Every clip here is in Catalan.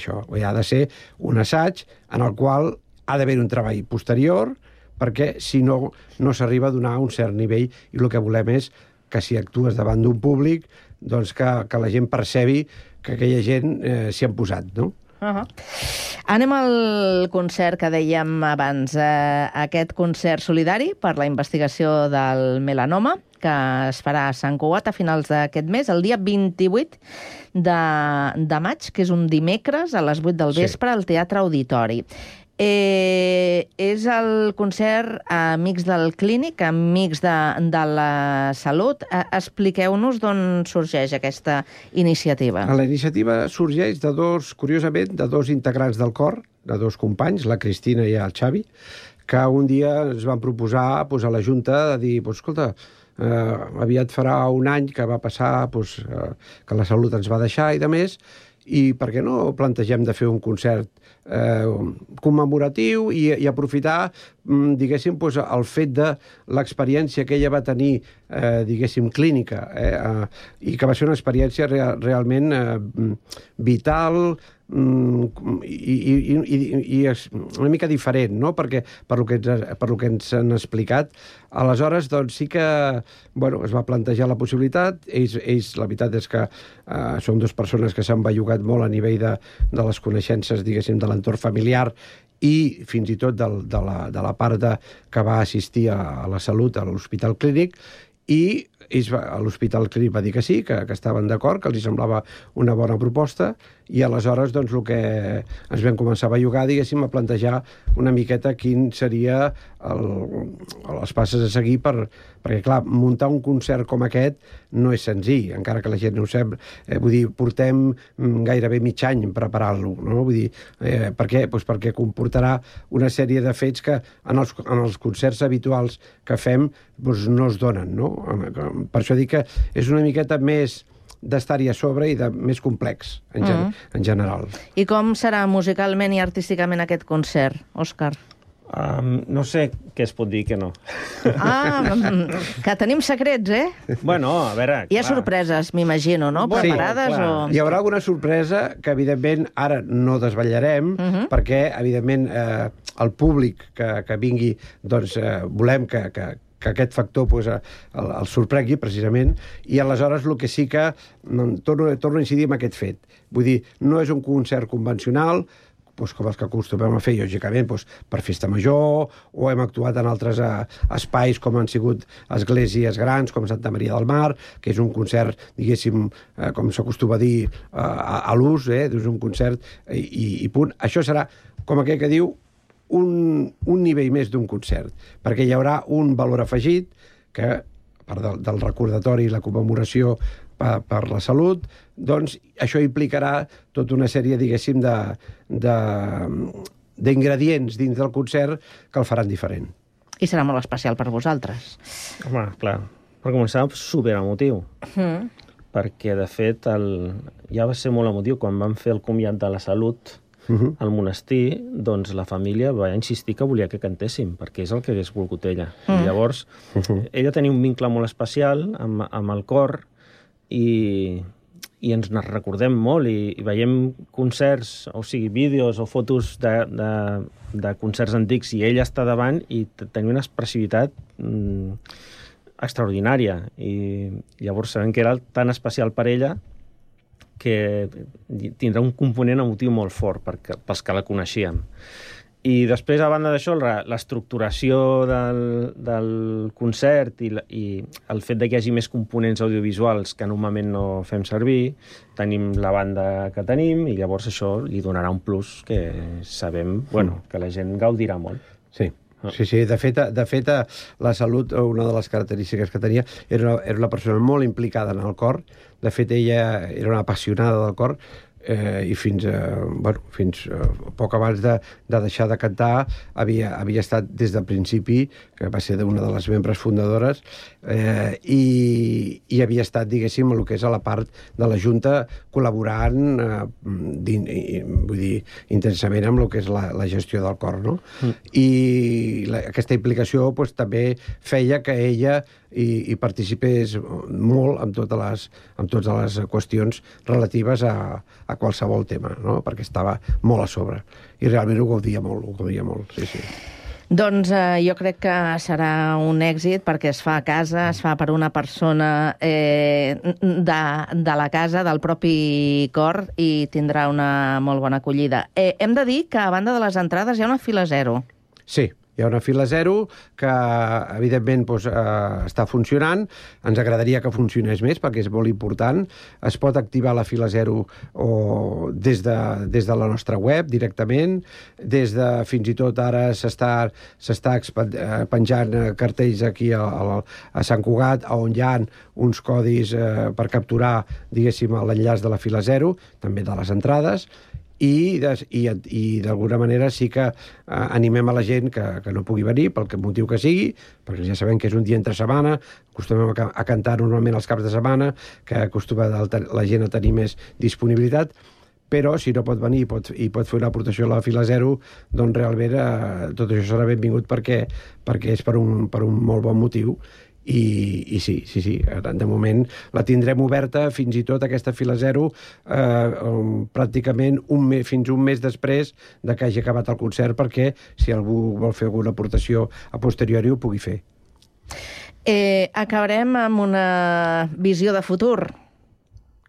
això. Ha de ser un assaig en el qual ha d'haver un treball posterior, perquè si no, no s'arriba a donar un cert nivell, i el que volem és que si actues davant d'un públic, doncs que la gent percebi que aquella gent s'hi han posat, no? Anem al concert que dèiem abans, aquest concert solidari per la investigació del melanoma, que es farà a Sant Cugat a finals d'aquest mes, el dia 28 de maig, que és un dimecres a les 8 del vespre al Teatre Auditori. És el concert Amics del Clínic, Amics de la Salut. Expliqueu-nos d'on sorgeix aquesta iniciativa. La iniciativa sorgeix curiosament, de dos integrants del cor, de dos companys, la Cristina i el Xavi, que un dia ens van proposar a la Junta de dir, escolta, aviat farà un any que va passar que la Salut ens va deixar i de més, i per què no plantegem de fer un concert commemoratiu i aprofitar, diguéssim, el fet de l'experiència que ella va tenir, diguéssim, clínica, i que va ser una experiència realment vital i una mica diferent, no? Perquè per lo que ens han explicat, aleshores doncs sí que es va plantejar la possibilitat. Ells la veritat és que són dues persones que s'han bellugat molt a nivell de les coneixences, diguéssim, de l'entorn familiar i fins i tot de la part que va assistir a la Salut, a l'Hospital Clínic, i l'Hospital Clínic va dir que sí, que estaven d'acord, que els semblava una bona proposta, i aleshores doncs el que ens vam començar a bellugar, diguéssim, a plantejar una miqueta quin seria les passes a seguir perquè, clar, muntar un concert com aquest no és senzill, encara que la gent no ho sap. Vull dir, portem gairebé mig any preparant-lo, no? Vull dir, per què? Doncs perquè comportarà una sèrie de fets que en els concerts habituals que fem no es donen, no? Per això dic que és una miqueta més d'estar-hi a sobre i més complex, en general. I com serà musicalment i artísticament aquest concert, Òscar? No sé què es pot dir que no. Que tenim secrets, eh? Bueno, a veure... Hi ha sorpreses, m'imagino, no? Preparades o... Hi haurà alguna sorpresa que, evidentment, ara no desvetllarem, perquè, evidentment, el públic que vingui, doncs, volem que aquest factor el sorprengui, precisament, i aleshores el que sí que torno a incidir en aquest fet. Vull dir, no és un concert convencional, com els que acostumem a fer, lògicament, per festa major, o hem actuat en altres espais com han sigut esglésies grans, com Santa Maria del Mar, que és un concert, diguéssim, com s'acostuma a dir, a l'ús, és un concert i punt. Això serà, com aquell que diu, un nivell més d'un concert, perquè hi haurà un valor afegit que, a part del recordatori i la commemoració per la salut, doncs això implicarà tota una sèrie, diguéssim, d'ingredients dins del concert que el faran diferent. I serà molt especial per vosaltres. Home, clar, per començar, superemotiu. Perquè, de fet, ja va ser molt emotiu quan vam fer el comiat de la Salut al monestir, doncs la família va insistir que volia que cantéssim, perquè és el que hagués volgut ella. I llavors, ella tenia un vincle molt especial amb el cor i ens recordem molt i veiem concerts, o sigui, vídeos o fotos de concerts antics i ella està davant i tenia una expressivitat extraordinària. I llavors sabem que era tan especial per ella que tindrà un component emotiu molt fort pels que la coneixíem. I després, a banda d'això, l'estructuració del concert i el fet que hi hagi més components audiovisuals que normalment no fem servir, tenim la banda que tenim i llavors això li donarà un plus que sabem que la gent gaudirà molt. Sí. Sí, de fet, la Salut, una de les característiques que tenia, era una persona molt implicada en el cor. De fet, ella era una apassionada del cor i fins poc abans de deixar de cantar havia estat des del principi, que va ser una de les membres fundadores, i havia estat, diguéssim, el que és a la part de la Junta, col·laborant vull dir, intensament amb el que és la gestió del cor, no? I aquesta implicació també feia que ella i participés molt amb totes les qüestions relatives a qualsevol tema, no? Perquè estava molt a sobre. I realment ho gaudia molt, sí, sí. Doncs jo crec que serà un èxit perquè es fa a casa, es fa per una persona de la casa, del propi cor, i tindrà una molt bona acollida. Hem de dir que a banda de les entrades hi ha una fila zero. Sí, hi ha una fila zero que, evidentment, està funcionant. Ens agradaria que funcionés més perquè és molt important. Es pot activar la fila zero des de la nostra web directament. Fins i tot ara s'està penjant cartells aquí a Sant Cugat on hi ha uns codis per capturar, diguéssim, l'enllaç de la fila zero, també de les entrades. I d'alguna manera sí que animem a la gent que no pugui venir, pel motiu que sigui, perquè ja sabem que és un dia entre setmana, acostumem a cantar normalment els caps de setmana, que acostuma la gent a tenir més disponibilitat, però si no pot venir i pot fer una aportació a la fila zero, doncs realment tot això serà benvingut perquè és per un molt bon motiu. I sí, de moment la tindrem oberta fins i tot aquesta fila zero pràcticament fins un mes després de que hagi acabat el concert, perquè si algú vol fer alguna aportació a posteriori ho pugui fer. Acabarem amb una visió de futur.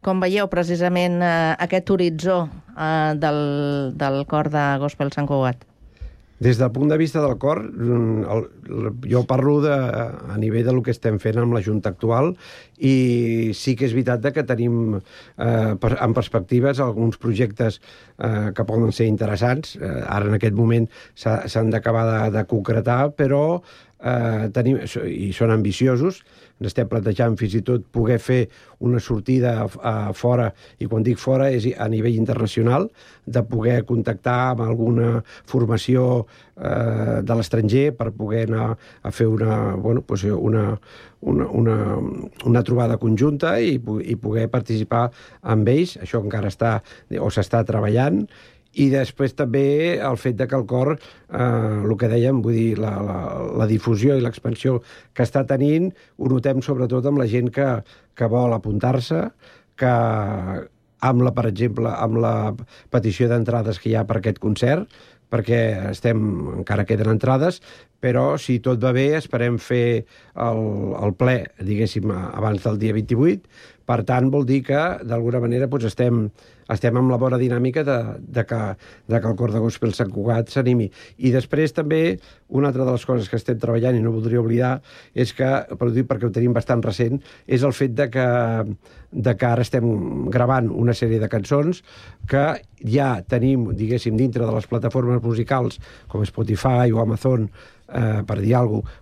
Com veieu precisament aquest horitzó del cor de Gospel Sant Cugat? Des del punt de vista del cor, jo parlo a nivell del que estem fent amb la Junta actual, i sí que és veritat que tenim en perspectives alguns projectes que poden ser interessants. Ara en aquest moment s'han d'acabar de concretar, però i són ambiciosos. Ens estem plantejant fins i tot poder fer una sortida fora, i quan dic fora és a nivell internacional, de poder contactar amb alguna formació de l'estranger per poder anar a fer una trobada conjunta i poder participar amb ells. Això encara s'està treballant. I després també el fet que el cor, el que dèiem, vull dir, la difusió i l'expansió que està tenint, ho notem sobretot amb la gent que vol apuntar-se, que per exemple, amb la petició d'entrades que hi ha per aquest concert, perquè encara queden entrades, però si tot va bé esperem fer el ple, diguéssim, abans del dia 28. Per tant, vol dir que, d'alguna manera, estem amb la bona dinàmica de que el cor de Gospel Sant Cugat s'animi. I després també, una altra de les coses que estem treballant, i no voldria oblidar, és que, perquè ho tenim bastant recent, és el fet de que ara estem gravant una sèrie de cançons que ja tenim, diguéssim, dintre de les plataformes musicals, com Spotify o Amazon, per dir alguna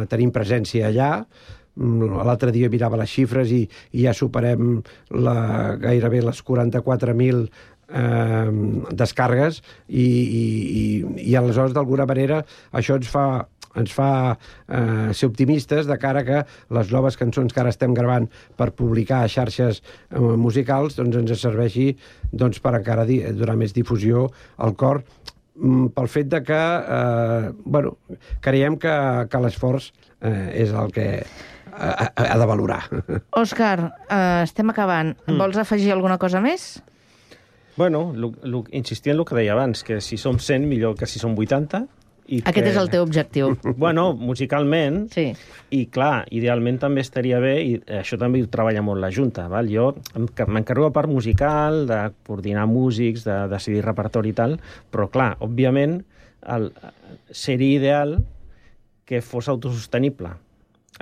cosa, tenim presència allà. L'altre dia mirava les xifres i ja superem gairebé les 44.000 descàrregues i aleshores, d'alguna manera, això ens fa ser optimistes de cara que les noves cançons que ara estem gravant per publicar a xarxes musicals doncs ens serveixi per encara donar més difusió al cor, pel fet de que creiem que l'esforç és el que ha de valorar. Òscar, estem acabant. Vols afegir alguna cosa més? Bueno, insistir en el que deia abans, que si som 100, millor que si som 80. Aquest és el teu objectiu. Bueno, musicalment, sí. I clar, idealment també estaria bé, i això també ho treballa molt la Junta, val? Jo m'encarrego a part musical, de coordinar músics, de decidir repertori i tal, però clar, òbviament, seria ideal que fos autosostenible,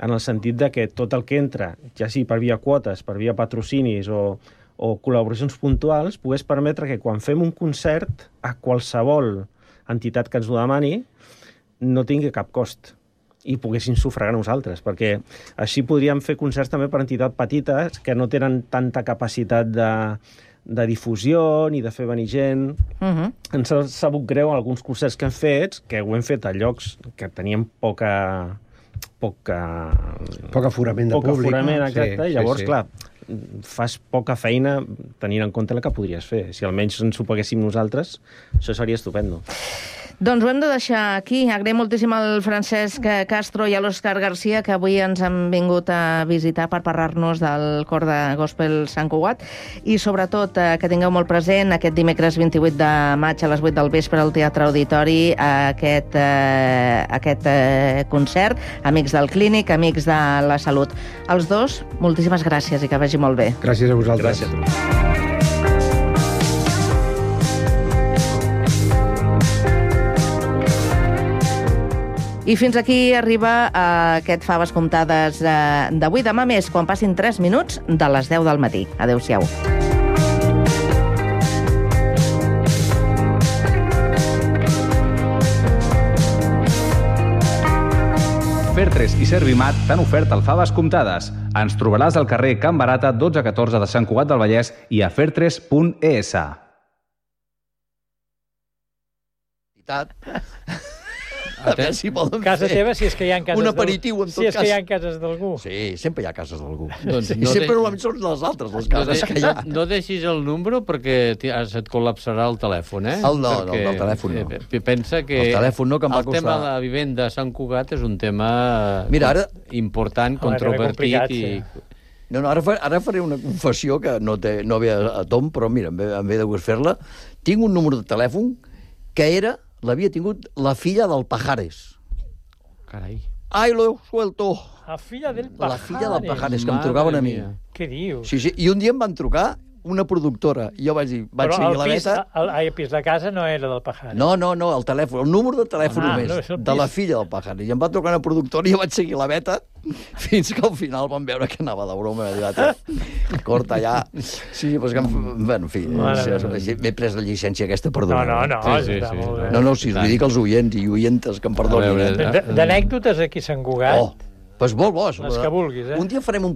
en el sentit de que tot el que entra, ja sigui per via quotes, per via patrocinis o col·laboracions puntuals, pogués permetre que quan fem un concert a qualsevol entitat que ens ho demani no tingui cap cost i poguessin sufragar nosaltres, perquè així podríem fer concerts també per entitats petites que no tenen tanta capacitat de difusió ni de fer venir gent. Ens ha sabut greu alguns concerts que hem fet, que ho hem fet a llocs que tenien poc aforament de públic. Poc aforament, exacte, i llavors, clar, fas poca feina tenint en compte la que podries fer. Si almenys ens ho paguéssim nosaltres, això seria estupendo. Doncs ho hem de deixar aquí. Agraïm moltíssim al Francesc Castro i a l'Òscar Garcia, que avui ens han vingut a visitar per parlar-nos del cor de Gospel Sant Cugat, i sobretot que tingueu molt present aquest dimecres 28 de maig a les 8 del vespre al Teatre Auditori aquest concert, Amics del Clínic, Amics de la Salut. Els dos, moltíssimes gràcies i que vagi molt bé. Gràcies a vosaltres. Gràcies a tu. I fins aquí arriba aquest Faves Comptades d'avui. Demà més, quan passin 3 minuts de les 10 del matí. Adéu-siau. Fer3 i Servimat t'han ofert el Faves Comptades. Ens trobaràs al carrer Can Barata 1214 de Sant Cugat del Vallès i a fer3.es. A veure si poden Casa fer teva, si és que hi ha cases un aperitiu, en tot cas. Si és que hi ha cases d'algú. Sí, sempre hi ha cases d'algú. Doncs I sempre normalment són les altres, les cases que hi ha. No deixis el número perquè et col·lapsarà el telèfon, eh? No, del telèfon no. Pensa que el telèfon no, que em va el tema costar... de la vivenda a Sant Cugat és un tema important, Home, controvertit complicat, i... No, ara faré una confessió que no ve a tom, però mira, em ve de gust fer-la. Tinc un número de telèfon que l'havia tingut la filla del Pajares. Carai. Ai, lo he suelto. La filla del Pajares. La filla del Pajares, que em trucaven a mi. Què dius? Sí, i un dia em van trucar una productora. I jo vaig seguir la beta... Però el pis de casa no era del Pajares. No, el telèfon, el número de telèfon només, no, és el de la pis. filla del Pajares. I em va trucar una productora i jo vaig seguir la beta fins que al final van veure que anava de broma. Corta ja. Sí, doncs que... Bueno, en fi, m'he pres la llicència aquesta, perdona. No, Sí, està sí, molt bé. No, si us vull dir que els oients i oientes que em perdonin. D'anècdotes aquí a Sant Cugat, Doncs molt bo. les que vulguis, eh? Un dia farem un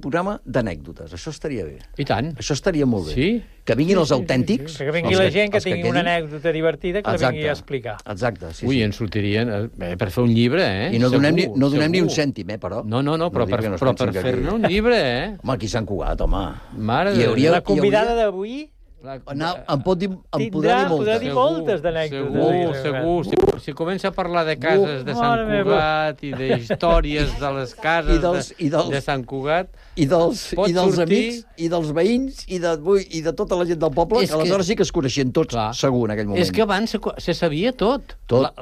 programa d'anècdotes. Això estaria bé. I tant. Això estaria molt bé. Sí? Que vinguin els autèntics. Que vingui la gent que tingui una anècdota divertida que la vingui a explicar. Exacte, sí. Ui, en sortirien per fer un llibre, eh? I no donem ni un Segur. cèntim, però. No, però dic que no es per pensin que fer-ne aquí- un llibre, eh? Home, aquí s'han cugat, home. Mare Hi de hauria- La convidada d'avui Em podrà dir dir moltes d'anècdotes. Segur. Si comença a parlar de cases de Sant Cugat i d'històries de les cases de Sant Cugat... I dels sortir- amics, i dels veïns, i de tota la gent del poble, que aleshores sí que es coneixien tots, segur, en aquell moment. És que abans se sabia tot. Tot.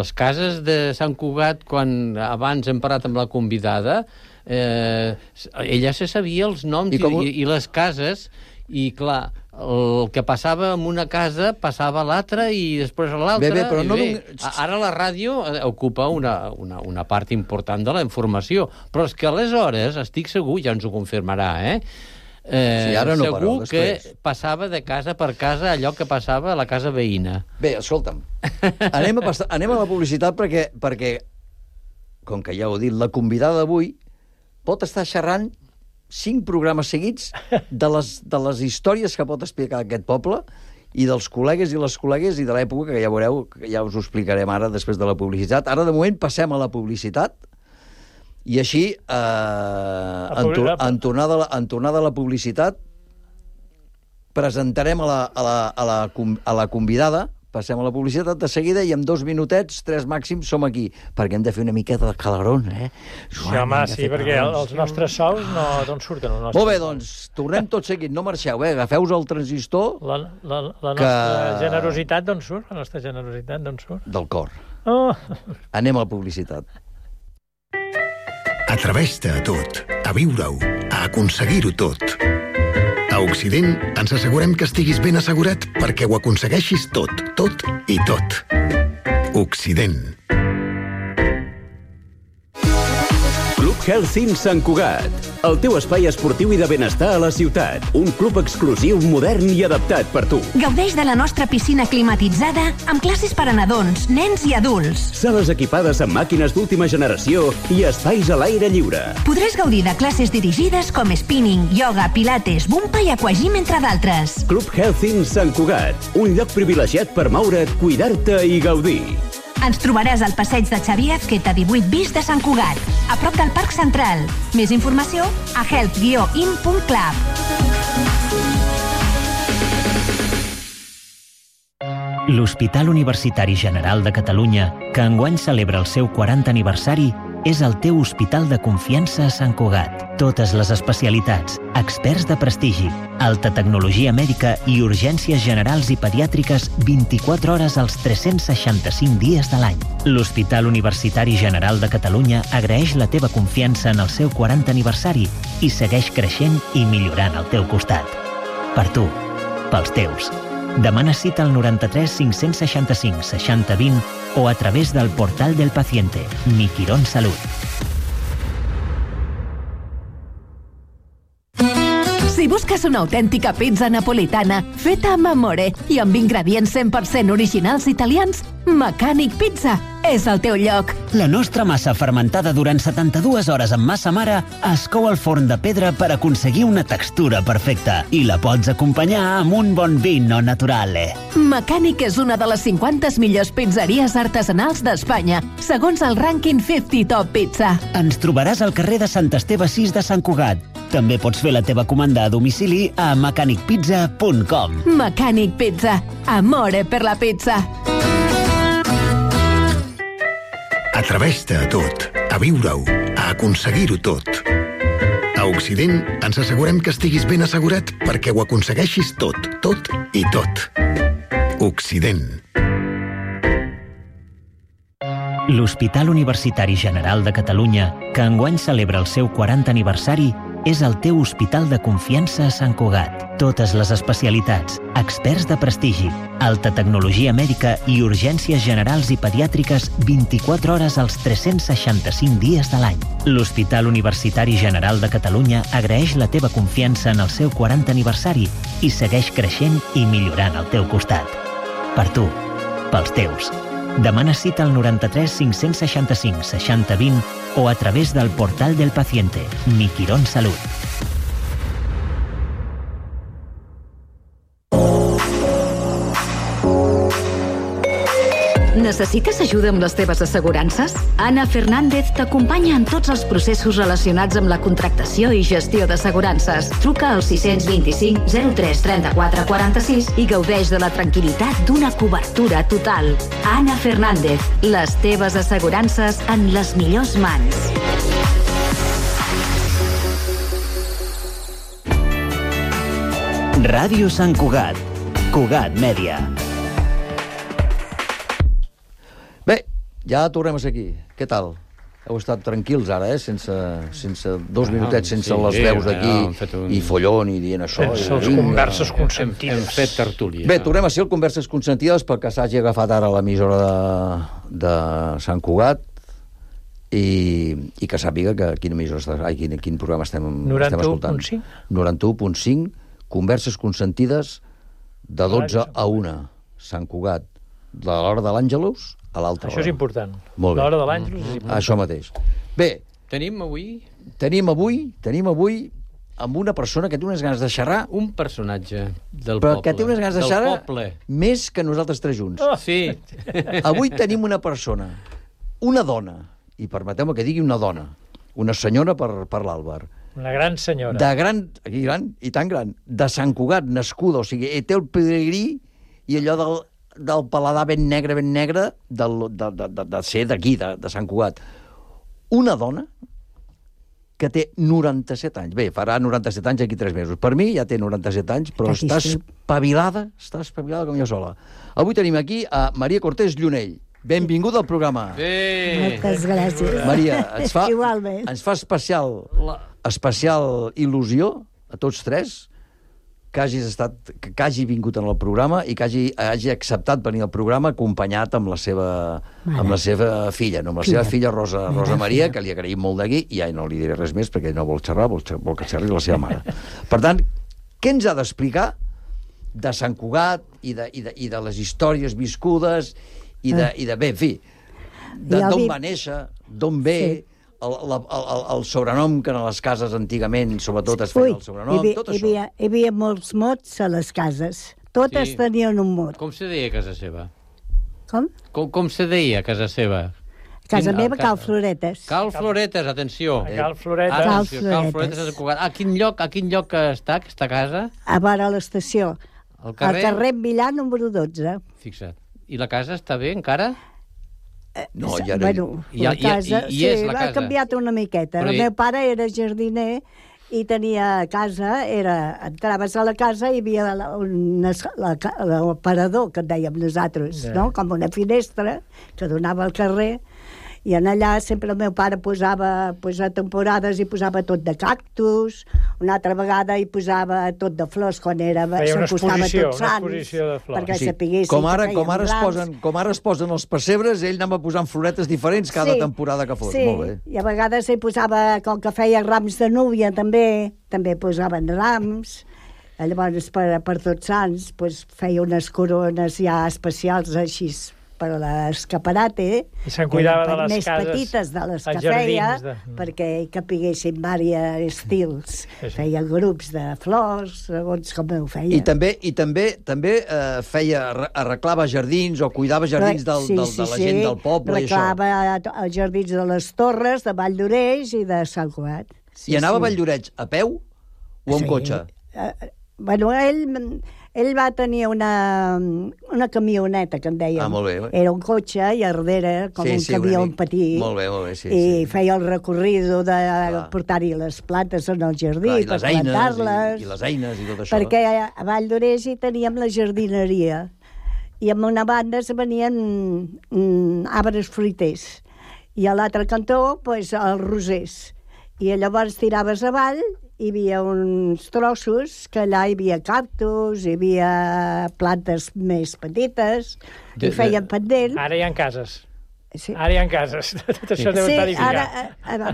Les cases de Sant Cugat, quan abans hem parlat amb la convidada, ella se sabia els noms i les cases, i clar, el que passava en una casa passava a l'altra i després a l'altra. Però no ara la ràdio ocupa una part important de la informació, però és que aleshores, estic segur, ja ens ho confirmarà, sí, ara no, segur però, que passava de casa per casa allò que passava a la casa veïna. Bé, escolta'm, anem a la publicitat perquè, com que ja ho he dit, la convidada d'avui pot estar xerrant 5 programes seguits de les històries que pot explicar aquest poble i dels col·legues i les col·legues i de l'època, que ja veureu, que ja us ho explicarem ara després de la publicitat. Ara, de moment, passem a la publicitat i així, en tornada a la publicitat, presentarem a la convidada. Passem a la publicitat de seguida i en 2 minutets, 3 màxims, som aquí. Perquè hem de fer una miqueta de calarón, Sí, home, sí, perquè els nostres sous d'on surten els nostres. Molt bé, doncs, tornem tot seguit, no marxeu, agafeu-vos el transistor... La nostra generositat d'on surt? La nostra generositat d'on surt? Del cor. Oh! Anem a la publicitat. Atreveix-te a tot, a viure-ho, a aconseguir-ho tot. A Occident ens assegurem que estiguis ben assegurat perquè ho aconsegueixis tot i tot. Occident. Club Health Sant Cugat, el teu espai esportiu i de benestar a la ciutat. Un club exclusiu, modern i adaptat per tu. Gaudeix de la nostra piscina climatitzada amb classes per a nadons, nens i adults. Sales equipades amb màquines d'última generació i espais a l'aire lliure. Podràs gaudir de classes dirigides com spinning, ioga, pilates, bumpa i aquagym, entre d'altres. Club Health Sant Cugat, un lloc privilegiat per moure't, cuidar-te i gaudir. Ens trobaràs al passeig de Xavier Azqueta 18 bis de Sant Cugat, a prop del Parc Central. Més informació a health-in.club. L'Hospital Universitari General de Catalunya, que enguany celebra el seu 40 aniversari, és el teu hospital de confiança a Sant Cugat. Totes les especialitats, experts de prestigi, alta tecnologia mèdica i urgències generals i pediàtriques 24 hores als 365 dies de l'any. L'Hospital Universitari General de Catalunya agraeix la teva confiança en el seu 40 aniversari i segueix creixent i millorant al teu costat. Per tu, pels teus. Demana cita al 93 565 60 20 o a través del portal del paciente, Mi Quirón Salud. Si busques una autèntica pizza napolitana feta amb amore i amb ingredients 100% originals italians, Mecànic Pizza és el teu lloc. La nostra massa fermentada durant 72 hores amb massa mare es cou al forn de pedra per aconseguir una textura perfecta i la pots acompanyar amb un bon vino naturale. Mecànic és una de les 50 millors pizzeries artesanals d'Espanya, segons el rànquing 50 Top Pizza. Ens trobaràs al carrer de Sant Esteve 6 de Sant Cugat. També pots fer la teva comanda a domicili a mecanicpizza.com. Mecànic Pizza. Amore per la pizza. Atreveix-te a tot, a viure-ho, a aconseguir-ho tot. A Occident ens assegurem que estiguis ben assegurat perquè ho aconsegueixis tot, tot i tot. Occident. L'Hospital Universitari General de Catalunya, que enguany celebra el seu 40 aniversari, és el teu hospital de confiança a Sant Cugat. Totes les especialitats, experts de prestigi, alta tecnologia mèdica i urgències generals i pediàtriques 24 hores als 365 dies de l'any. L'Hospital Universitari General de Catalunya agraeix la teva confiança en el seu 40 aniversari i segueix creixent i millorant al teu costat. Per tu, pels teus. Demana cita al 93 565 60 20 o a través del portal del paciente, Mi Quirón Salud. Necessites ajuda amb les teves assegurances? Anna Fernández t'acompanya en tots els processos relacionats amb la contractació i gestió d'assegurances. Truca al 625 03 34 46 i gaudeix de la tranquil·litat d'una cobertura total. Anna Fernández, les teves assegurances en les millors mans. Ràdio Sant Cugat. Cugat Mèdia. Bé, ja tornem a ser aquí. Què tal? Heu estat tranquils ara, sense 2 minutets, sense les veus aquí i follon i dient això. Les converses consentides. Hem fet tertúlia. Bé, tornem a ser el Converses Consentides perquè s'hagi agafat ara l'emissora de Sant Cugat i que sàpiga que quin programa estem escoltant. 91.5, Converses Consentides de 12 a 1, Sant Cugat, de l'hora de l'Àngelus a l'altra hora. Això és important. Molt bé. L'hora de l'Àngelus és important. Això mateix. Bé. Tenim avui amb una persona que té unes ganes de xerrar. Un personatge del però poble. Que té unes ganes de xerrar més que nosaltres tres junts. Oh, sí. Avui tenim una persona, una dona, i permeteu-me que digui una dona, una senyora per l'Àlvar. Una gran senyora. Gran i tan gran, de Sant Cugat, nascuda, o sigui, té el pedigrí i allò del paladar ben negre, de ser d'aquí, de Sant Cugat. Una dona que té 97 anys. Bé, farà 97 anys aquí 3 mesos. Per mi ja té 97 anys, però està espavilada com jo sola. Avui tenim aquí a Maria Cortés Llunell. Benvinguda al programa. Moltes gràcies. Maria, ens fa especial il·lusió a tots tres que hagi vingut en el programa i que hagi acceptat venir al programa acompanyat amb la seva filla, no? Amb la seva filla Rosa Maria, que li agraïm molt d'aquí, i ja no li diré res més perquè no vol xerrar, vol que xerri la seva mare. Per tant, què ens ha d'explicar de Sant Cugat i de les històries viscudes i de bé, en fi, d'on va néixer, d'on ve... El sobrenom que a les cases antigament, sobretot, es feia el sobrenom, tot això. Hi havia molts mots a les cases. Totes tenien un mot. Com se deia a casa seva? Com? Com se deia a casa seva? Casa meva, Cal Floretes. Cal Floretes, atenció. Cal Floretes. A quin lloc està aquesta casa? A vora l'estació. Al carrer? Al carrer Millà, número 12. Fixa't. I la casa està bé, encara? No, ja no... Bueno, la casa, sí, ha canviat una miqueta. El meu pare era jardiner i tenia casa, entraves a la casa i hi havia l'aparador, que en dèiem nosaltres, no? Com una finestra que donava al carrer, i en allà sempre el meu pare posava a temporades i posava tot de cactus, una altra vegada hi posava tot de flors quan s'acostava Tots Sants, perquè sapiguessin com ara es posen els pessebres, ell anava posant floretes diferents cada temporada que fos. Molt bé. I a vegades hi posava, com que feia rams de núvia també posaven rams. Llavors per Tots Sants feia unes corones ja especials així per a l'escaparate, i se'n cuidava de les més cases, petites de les que feia, perquè hi capiguessin diversos estils. Feia grups de flors, segons com ho feia. I també arreglava jardins o cuidava jardins de la gent del poble. Arreglava els jardins de les Torres, de Valldoreix i de Sant Cugat. I anava a Valldoreix a peu o amb cotxe? Bueno, ell va tenir una camioneta, que en dèiem. Molt bé. Era un cotxe i a darrere, com un camió petit. Molt bé, sí. I feia el recorrido de portar-hi les plantes en el jardí, per plantar-les. I les eines i tot això. Perquè a Valldoreix hi teníem la jardineria. I en una banda es venien arbres fruiters. I a l'altre cantó, els rosers. I llavors tiraves avall, hi havia uns trossos que allà hi havia cactus, hi havia plantes més petites, i feien pendent. Ara hi ha cases. Sí. Ara hi ha cases. Tot això deu estar edificat. Ara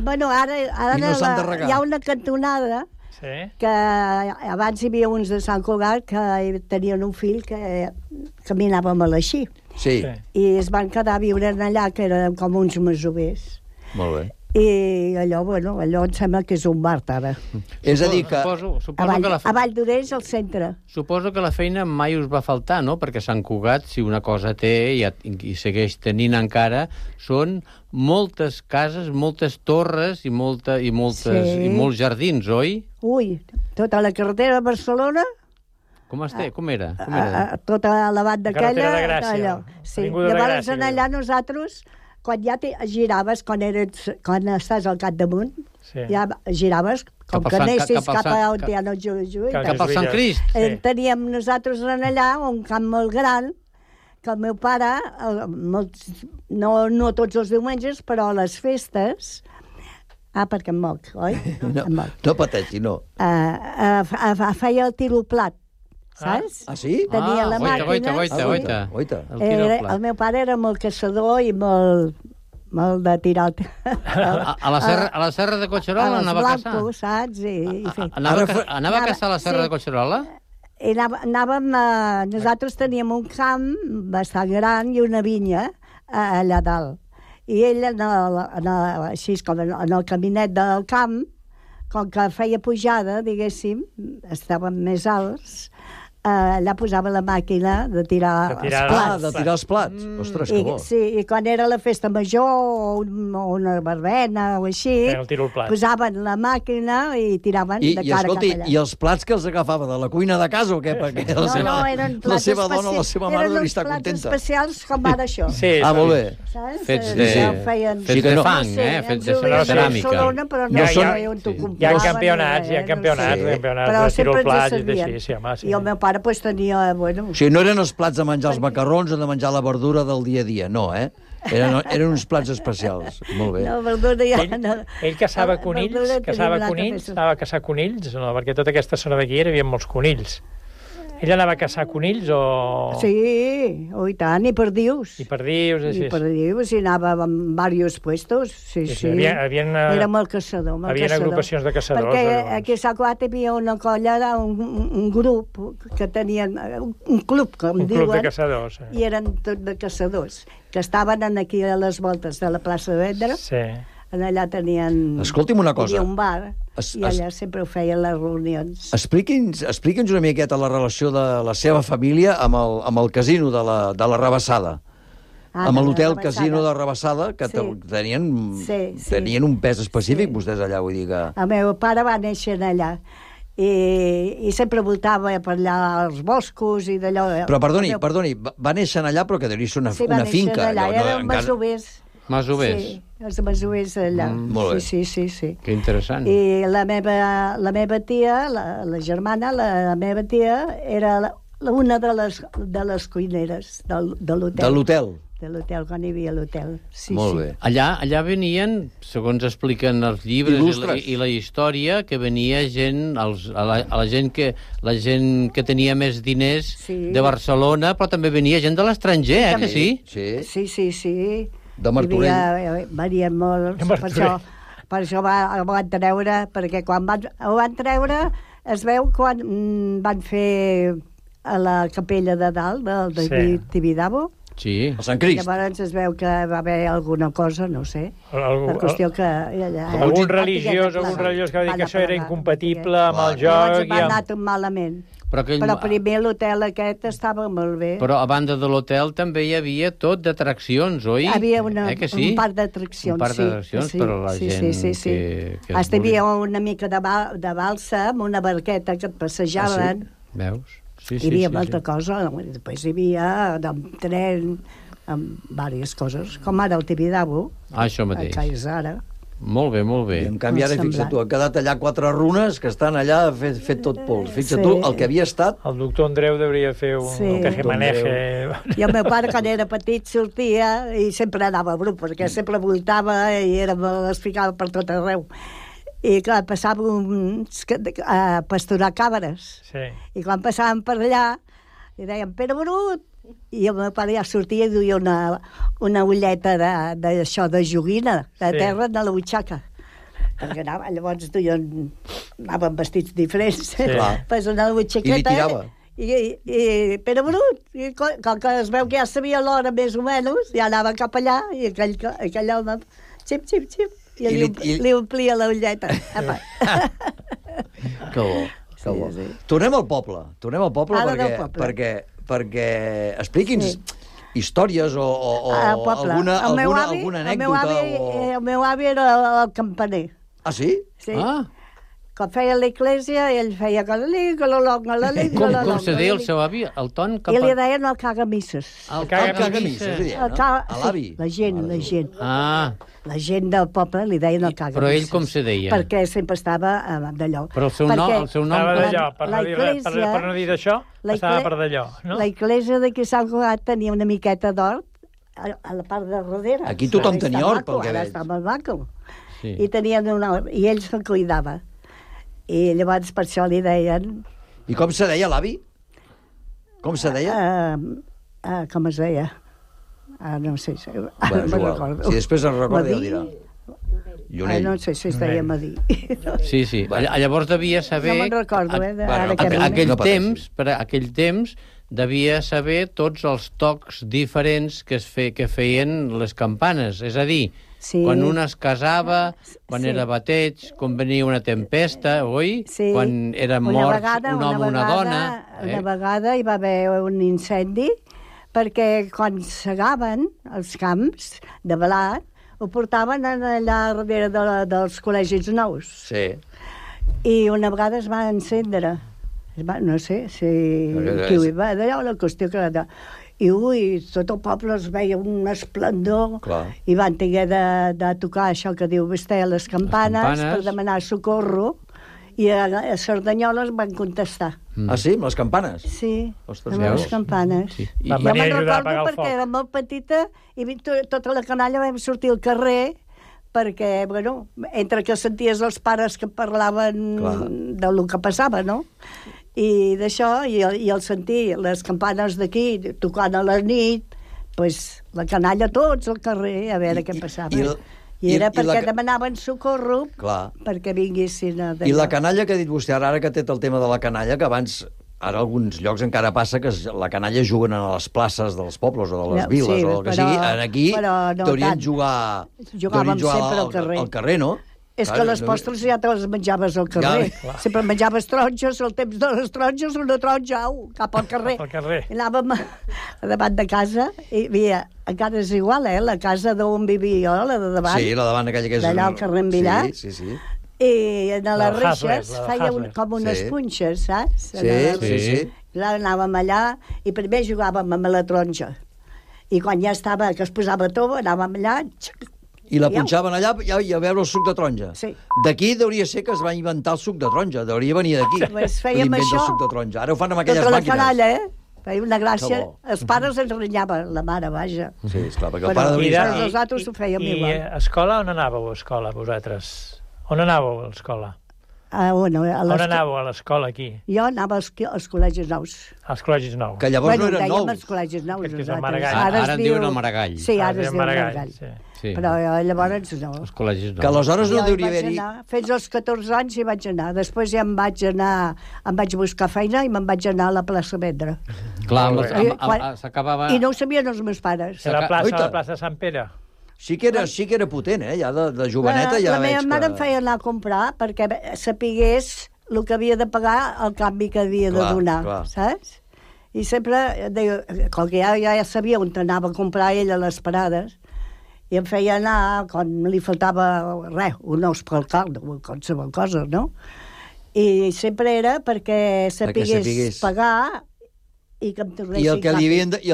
hi ha una cantonada que abans hi havia uns de Sant Cugat que tenien un fill que caminàvem a l'Així. Sí. I es van quedar a viure allà, que eren com uns masovers. Molt bé. I allò em sembla que és un bar, ara. És a dir que... A Valldoreix, al centre. Suposo que la feina mai us va faltar, no? Perquè Sant Cugat, si una cosa té i segueix tenint encara, són moltes cases, moltes torres i molts jardins, oi? Ui, tota la carretera de Barcelona... Com era? Tota la banda aquella... Carretera de Gràcia. Sí, llavors allà nosaltres... Quan ja giraves, quan estàs al capdamunt, ja giraves, com que anessis cap a on hi ha el Jujuy. Cap al Sant Crist. Teníem nosaltres allà un camp molt gran, que el meu pare, no tots els diumenges, però a les festes, perquè em moc, oi? No pateixi, no. Feia el tiroplat. Saps? Ah, sí? Tenia la màquina. Goita. El meu pare era molt caçador i molt de tirar... A la serra de Collserola anava a caçar? Saps? Anava a caçar a la serra de Collserola? Nosaltres teníem un camp bastant gran i una vinya allà dalt. I ell, així com en el caminet del camp, com que feia pujada, diguéssim, estaven més alts, allà posava la màquina de tirar els plats. De tirar els plats? Ostres, que bo. Sí, i quan era la festa major o una verbena o així, posaven la màquina i tiraven de cara cap allà. I els plats que els agafava de la cuina de casa o què? Perquè no, eren plats la seva dona, la seva mare devia estar contenta. Eren uns plats especials com ara això. Molt bé. Fets de fang, fets de ceràmica. Hi ha campionats de tiroplats i d'així, sí, home. I el meu pare tenia... O sigui, no eren els plats de menjar els macarrons o de menjar la verdura del dia a dia, no, Eren uns plats especials. Molt bé. No, verdura ja... Ell caçava conills, anava a caçar conills, no? Perquè tota aquesta zona d'aquí hi havia molts conills. Ell anava a caçar conills o... Sí, i tant, i perdius. I perdius, i anava en diversos puestos, sí. Era molt caçador, Havia agrupacions de caçadors. Perquè aquí a Sant Cugat hi havia una colla, un grup, que tenien un club, com diuen. Un club de caçadors. I eren tots de caçadors, que estaven aquí a les voltes de la plaça de Vendra. Sí. Allà tenien... Escolti'm una cosa. Hi havia un bar, i allà sempre ho feien les reunions. Expliqui'ns una miqueta la relació de la seva família amb el casino de la Rabassada. Amb l'hotel Casino de Rabassada, que tenien un pes específic, vostès allà, vull dir que... El meu pare va néixer allà, i sempre voltava per allà als boscos i d'allò. Però perdoni, va néixer allà, però que devia ser una finca. Sí, va néixer allà, eren masovers. Masovers? Sí, els masovers allà. Molt bé. Sí. Que interessant. I la meva tia, la germana, la meva tia, era una de les cuineres de l'hotel. De l'hotel? De l'hotel, quan hi havia l'hotel. Sí, Molt bé. Allà venien, segons expliquen els llibres i la història, que venia gent, la gent que tenia més diners de Barcelona, però també venia gent de l'estranger, que sí? Sí. De Martorell. Venien molts, per això ho van treure, perquè quan ho van treure es veu quan van fer a la capella de dalt del Tibidabo. Sí. El Sant Crist. Llavors es veu que va haver alguna cosa, no sé. La qüestió que... Algun religiós que va dir que això era incompatible amb el joc. Llavors va anar tot malament. Però primer l'hotel aquest estava molt bé. Però a banda de l'hotel també hi havia tot d'atraccions, oi? Hi havia un parc d'atraccions, un parc d'atraccions per a la gent que hi havia una mica de balsa amb una barqueta que et passejaven. Veus? Hi havia molta cosa. Després hi havia tren, amb diverses coses, com ara el Tibidabo. Això mateix. Que és ara. Molt bé. I en canvi ara, fixa't tu, ha quedat allà 4 runes que estan allà fet tot pols. Fixa't tu, el que havia estat... El doctor Andreu hauria fer un tejemaneje. I el meu pare, quan era petit, sortia i sempre anava a grup, perquè sempre voltava i es ficava per tot arreu. I clar, passàvem a pasturar cabres. Sí. I quan passàvem per allà, li deien, Pere Brut! I el meu pare ja sortia i duia una ulleta d'això, de joguina, de terra, de la butxaca. Perquè llavors anaven vestits diferents. Pues una butxaqueta. I li tirava. I Pere Brut, com que es veu que ja sabia l'hora més o menys, ja anava cap allà, i aquell home, xip, i li omplia la ulleta. Que bo. Tornem al poble perquè expliqui'ns històries o alguna anècdota. El meu avi era el campaner. Ah, sí? Sí. Quan feia l'església, ell feia com se deia el seu avi? El ton? I li deien el cagamisses. El cagamisses, l'avi. La gent. La gent del poble li deien el cagamisses. Però ell com se deia? Perquè sempre estava d'allò. Però el seu nom... Estava d'allò, per no dir d'això, estava per d'allò, no? La església d'aquí Sant Cugat tenia una miqueta d'hort a la part de darrere. Aquí tothom tenia hort, pel que veig. Ara està molt maco. I ell se'l cuidava. I llavors per això li deien... I com se deia l'avi? Com se deia? Com es deia? No sé. Si després es recorda ja ho dirà. Llunell. No sé si es deia Madí. Sí. Llavors devia saber... No me'n recordo, aquell temps devia saber tots els tocs diferents que feien les campanes. És a dir, quan una es casava, quan era bateig, quan venia una tempesta, oi? Quan era mort un home o una dona. Una vegada hi va haver un incendi perquè quan segaven els camps de blat ho portaven allà darrere dels col·legis nous. Sí. I una vegada es va encendre. No sé si... D'allò la qüestió que... I tot el poble es veia un esplendor. I van haver de tocar això que diu vostè, les campanes, per demanar socorro. I a Cerdanyola van contestar. Ah, sí? Amb les campanes? Sí, amb les campanes. Jo me'n recordo perquè era molt petita i tota la canalla vam sortir al carrer perquè, bueno, entre que senties els pares que parlaven del que passava, no? I d'això, i el sentir les campanes d'aquí tocant a la nit, doncs la canalla tots al carrer a veure què passava. I era perquè demanaven socorro perquè vinguessin a... I la canalla que ha dit vostè ara que té el tema de la canalla, que abans, ara alguns llocs encara passa que la canalla juguen a les places dels pobles o de les viles o el que sigui, aquí t'haurien jugar al carrer, no? És que les postres ja te les menjaves al carrer. Sempre menjaves taronges, al temps de les taronges, una taronja, cap al carrer. I anàvem davant de casa, i havia, encara és igual, la casa d'on vivia jo, la de davant. Sí, la davant aquella que és... D'allà al carrer Envillar. Sí. I en les Haslet, reixes la feia Haslet. com unes Sí. punxes, saps? Sí. Clar, anàvem allà i primer jugàvem amb la taronja. I quan ja estava, que es posava tova, anàvem allà... I la punxaven allà i a veure el suc de taronja. Sí. D'aquí hauria ser que es va inventar el suc de taronja. Hauria venir d'aquí. Pues fèiem l'invent del això. suc de taronja. Ara ho fan amb aquelles Tota la màquines. canalla, feia una gràcia. Que bo. Els pares ens renyaven, la mare, vaja. Sí, esclar, perquè el Però pare I hauria... de- nosaltres ho fèiem I igual. a escola, on anàveu a escola, vosaltres? On anàveu a l'escola? On On anàveu a l'escola, aquí? Jo anava als col·legis nous. Als col·legis nous. Que llavors no eren dèiem nous. els col·legis nous. Aquest és el nosaltres. Maragall. Ara es en diuen el Maragall. Sí, ara Ah, es es diu diu Maragall, Maragall. sí. Sí. Però llavors no. Els col·legis Que aleshores no Jo hi deuria vaig haver-hi... anar, fins als 14 anys hi vaig anar. Després ja em vaig buscar feina i me'n vaig anar a la plaça Vendra. Clar, Molt bé. s'acabava... I no ho sabien els meus pares. A la Oita. plaça de Sant Pere. Sí que era potent, ja de joveneta ja la meva veig mare que... em feia anar a comprar perquè sapigués el que havia de pagar, el canvi que havia de Clar, donar, clar. saps? I sempre, com que ja sabia on anava a comprar ella a les parades, i em feia anar, quan li faltava res, un os pel caldo, o qualsevol cosa, no? I sempre era perquè sapigués pagar i que em tornessin I el que li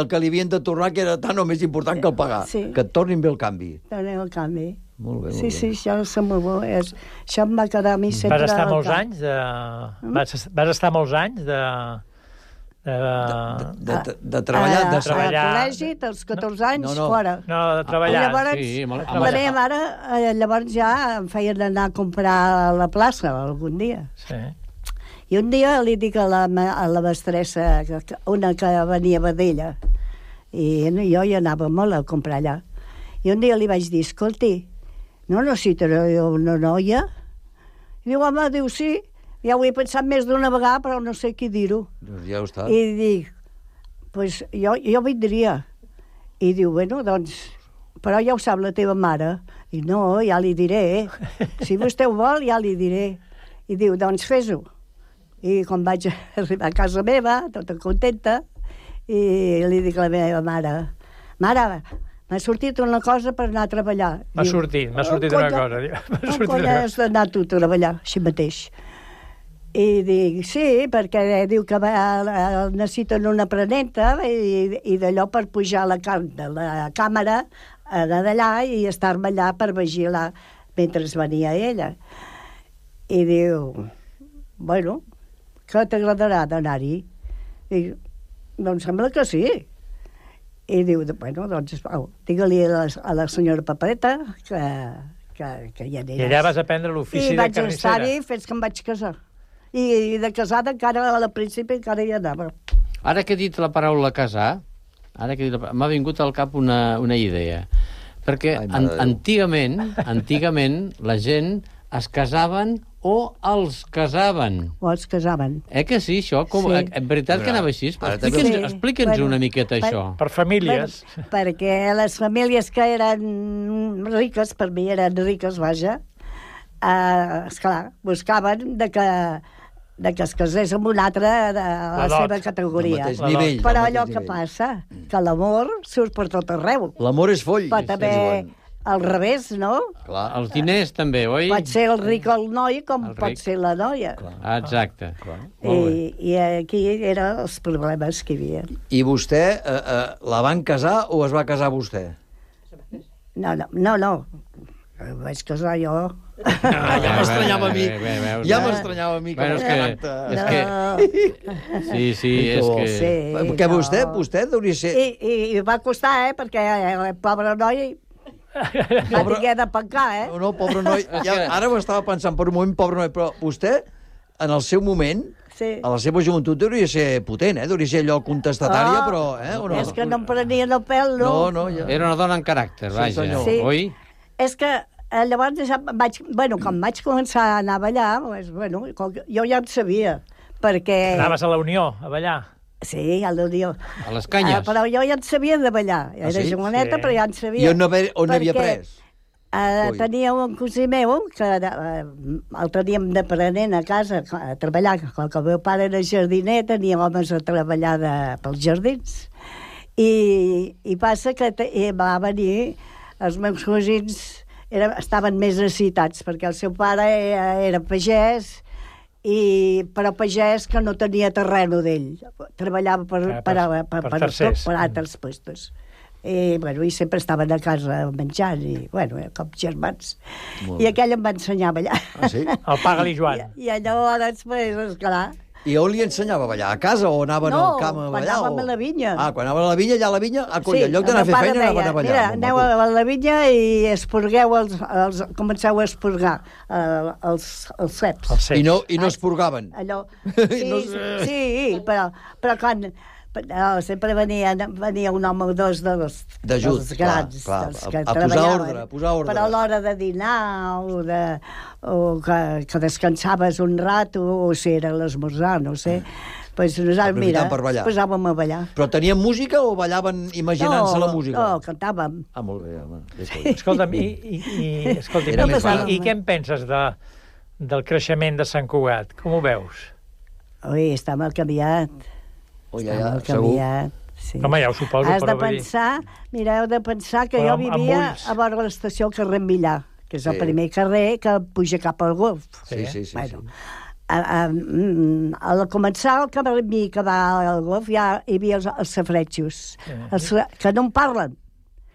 canvi. havien de tornar, que era tan o més important que el pagar. Sí. Que et tornin bé el canvi. Tornen el canvi. Molt bé, molt Sí, bé. sí, això és molt bo. Això em va quedar a mi sempre... Vas estar al molts cap. anys de... Vas estar molts anys de De treballar... de treballar. Al col·legi, dels 14 anys, No. fora. No, de treballar. I llavors, Sí, la meva mare, llavors ja em feien anar a comprar a la plaça algun dia. Sí. I un dia li dic a la mestressa, una que venia d'ella, i jo hi anava molt a comprar allà. I un dia li vaig dir, escolti, no necessitaré una noia? I diu, home, diu, sí, ja ho he pensat més d'una vegada, però no sé qui dir-ho. Ja ho està. I dic, pues jo vindria. I diu, bueno, doncs, però ja ho sap la teva mare. I no, ja li diré. Si vostè ho vol, ja li diré. I diu, doncs fes-ho. I quan vaig arribar a casa meva, tota contenta, i li dic a la meva mare, mare, m'ha sortit una cosa per anar a treballar. M'ha sortit una cosa. On has d'anar tu a treballar, així mateix? I dic, sí, perquè diu que necessiten una aprenenta i d'allò per pujar la càmera d'allà i estar-me allà per vigilar mentre venia ella. I diu, bueno, que t'agradarà d'anar-hi? Dic, doncs sembla que sí. I diu, bueno, doncs, digue-li a la senyora Papeta que ja aniràs. I allà vas aprendre l'ofici de carnissera. I vaig estar-hi fins que em vaig casar. I de casada encara, al principi, encara hi anava. Ara que he dit la paraula casar, m'ha vingut al cap una idea. Perquè antigament la gent es casaven o els casaven. O els casaven. Que sí, això? Sí. En veritat que anava així? Explica'ns una miqueta això. Per famílies. Perquè les famílies que eren riques, per mi eren riques, vaja, esclar, buscaven de que es casés amb un altre de la seva categoria. Però allò que passa, que l'amor surt per tot arreu. L'amor és foll. Pot haver al revés, no? Clar. Els diners també, oi? Pot ser el ric el noi com pot ser la noia. Exacte. I aquí eren els problemes que hi havia. I vostè la van casar o es va casar vostè? No. Vaig casar jo. Ja m'estranyava a mi. Ja m'estranyava a mi. Sí, és que... Perquè vostè hauria ser... I va costar, perquè el pobre noi va haver de pencar, No, pobre noi. Ara ho estava pensant per un moment, pobre noi, però vostè, en el seu moment, a la seva joventut, hauria ser potent, hauria ser allò contestatària, però... És que no em prenien el pèl, no. Era una dona en caràcter, vaja, oi? És que llavors quan vaig començar a anar a ballar, jo ja en sabia, perquè... Anaves a la Unió, a ballar? Sí, a la Unió. A les canyes? Però jo ja en sabia de ballar. Era joveneta, però ja en sabia. I on havia pres? Tenia un cosí meu, que el teníem d'aprenent a casa, a treballar. Com que el meu pare era jardiner, tenia homes a treballar pels jardins. I passa que va venir els meus cosins estaven més necessitats, perquè el seu pare era pagès, però pagès que no tenia terreno d'ell. Treballava per altres puestos. I sempre estaven a casa menjant, com germans. I aquell em va ensenyar a ballar. Ah, sí? El Paga-li Joan. I llavors, esclar... I on li ensenyava a ballar? A casa o anaven al camp a ballar? No, quan anàvem a la vinya. Ah, quan anàvem a la vinya, allà a la vinya, en lloc d'anar a fer feina, anaven a ballar. Mira, aneu a la vinya i esporgueu comenceu a esporgar els ceps. I no esporgaven? Allò... Sí, però quan... No, sempre venia un home o dos dels grans, dels que treballaven. A posar ordre. Però a l'hora de dinar o que descansaves un rato, o si era l'esmorzar, no sé, doncs nosaltres, mira, posàvem a ballar. Però tenien música o ballaven imaginant-se la música? No, cantàvem. Ah, molt bé, home. Escolta'm, i què en penses del creixement de Sant Cugat? Com ho veus? Ui, està mal canviat. Sí. Home, ja ho suposo, heu de pensar que jo vivia a vora l'estació al carrer Millà, que és el primer carrer que puja cap al golf. Sí. Al començar el camí que va al golf ja hi havia els safretxos, que no en parlen.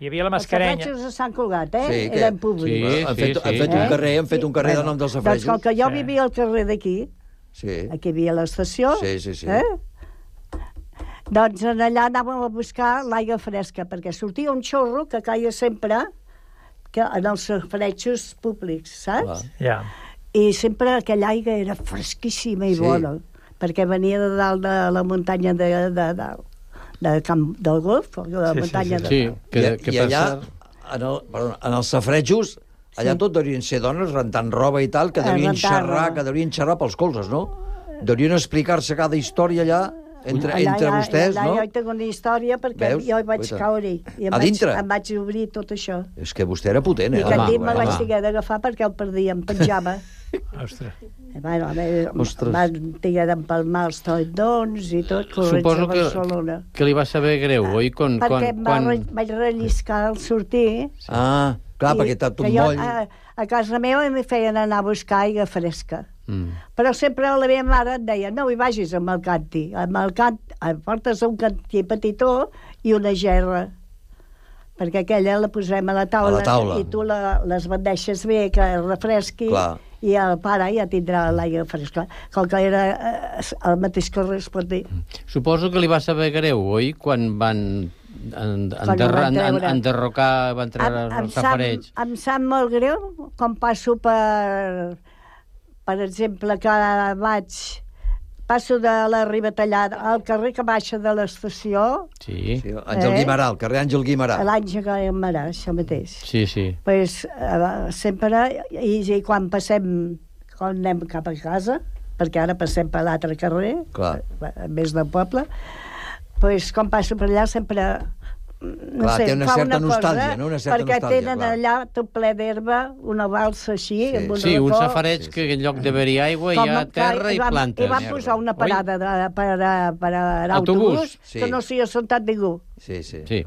Hi havia la mascarenya. Els safretxos de Sant Cugat, eren públics. Han fet un carrer de nom dels safretxos. Doncs com que jo vivia al carrer d'aquí, aquí hi havia l'estació, doncs allà anàvem a buscar l'aigua fresca, perquè sortia un xorro que caia sempre en els safaretxos públics, saps? I sempre aquella aigua era fresquíssima i bona, perquè venia de dalt de la muntanya del Golf, de la muntanya de dalt. I allà, en els safaretjos, allà tot deurien ser dones rentant roba i tal, que deurien xerrar pels colzes, no? Deurien explicar-se cada història allà entre vostès, no? Jo hi tinc una història perquè jo hi vaig caure-hi i em vaig obrir tot això. És que vostè era potent, I aquest dit me vaig haver d'agafar perquè el perdia, em penjava. Ostres. Van tinguer d'empalmar els tendons i tot, corrents a Barcelona. Suposo que li va saber greu, oi? Perquè em vaig relliscar al sortir. Ah, clar, perquè tot un moll. A casa meva em feien anar a buscar aigua fresca. Però sempre la meva mare em deia no hi vagis amb el canti, portes un cantí petitó i una gerra, perquè aquella la posem a la taula. I tu les bandeixes bé que refresqui. I el pare ja tindrà l'aigua fresca, com que era el mateix que es pot dir. Suposo que li va saber greu, oi? Quan van enderrocar, van treure els safarets. Em sap molt greu quan passo per exemple, que passo de la Ribatallada al carrer que baixa de l'estació. Sí, Àngel Guimarà, el carrer Àngel Guimarà. L'Àngel Guimarà, això mateix. Sí. Pues, sempre, i quan anem cap a casa, perquè ara passem per l'altre carrer, més del poble, pues, quan passo per allà sempre... té una certa nostàlgia, no? Perquè tenen allà tot ple d'herba, una balsa així... Sí, uns safarets que en lloc d'haver-hi aigua hi ha terra i plantes. I van posar una parada per autobús que no s'hi ha sentat ningú. Sí.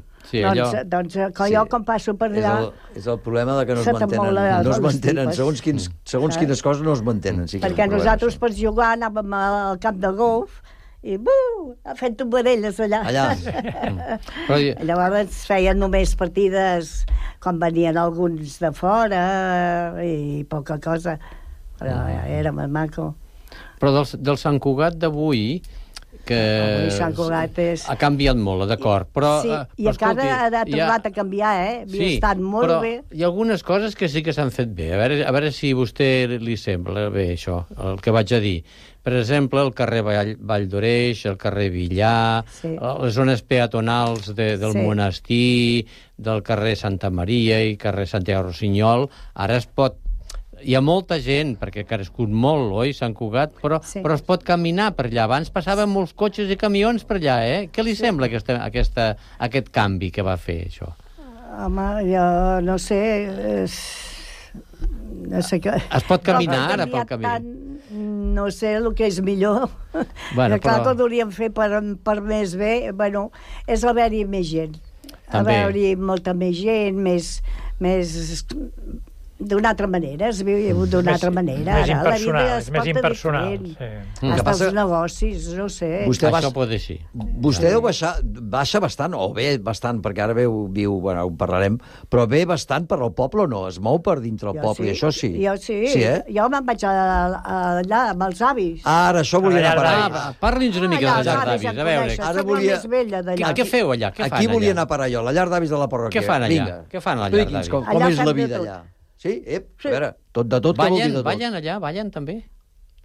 Doncs jo quan passo per allà... És el problema de que no es mantenen. Segons quines coses no es mantenen. Perquè nosaltres per jugar anàvem al camp de golf i fent tombarelles allà. Llavors feien només partides quan venien alguns de fora i poca cosa, però era molt maco. Però del Sant Cugat d'avui, que ha canviat molt, d'acord, però... Sí, i encara ha tornat a canviar, havia estat molt bé. Hi ha algunes coses que sí que s'han fet bé, a veure si a vostè li sembla bé això, el que vaig a dir. Per exemple, el carrer Vall d'Oreix, el carrer Villar, les zones peatonals del monestir, del carrer Santa Maria i carrer Santiago Rossinyol, ara es pot... Hi ha molta gent, perquè ha crescut molt, oi, Sant Cugat, però es pot caminar per allà. Abans passaven molts cotxes i camions per allà, Què li sembla aquest canvi que va fer, això? Home, jo no sé... Es pot caminar ara pel camí? No sé el que és millor. Clar que ho hauríem fer per més bé. Bueno, és haver-hi més gent. Haver-hi molta més gent, més d'una altra manera, es viu d'una altra manera. Més impersonal, és més impersonal. Hasta els negocis, no sé. Això pot ser. Vostè deu baixa bastant, o bé bastant, perquè ara viu, bueno, ho parlarem, però ve bastant per al poble o no? Es mou per dintre el poble, i això sí. Jo sí. Sí, Jo me'n vaig allà amb els avis. Ara, això volia anar a parar. Parli'ns una mica de la llar d'avis, a veure. Ara volia... Què feu allà? Aquí volia anar a parar jo, la llar d'avis de la parròquia. Què fan allà? Què fan a la llar d'avis? Com és la vida allà? Sí? A veure, de tot que vol dir de tot. Ballen allà, ballen també?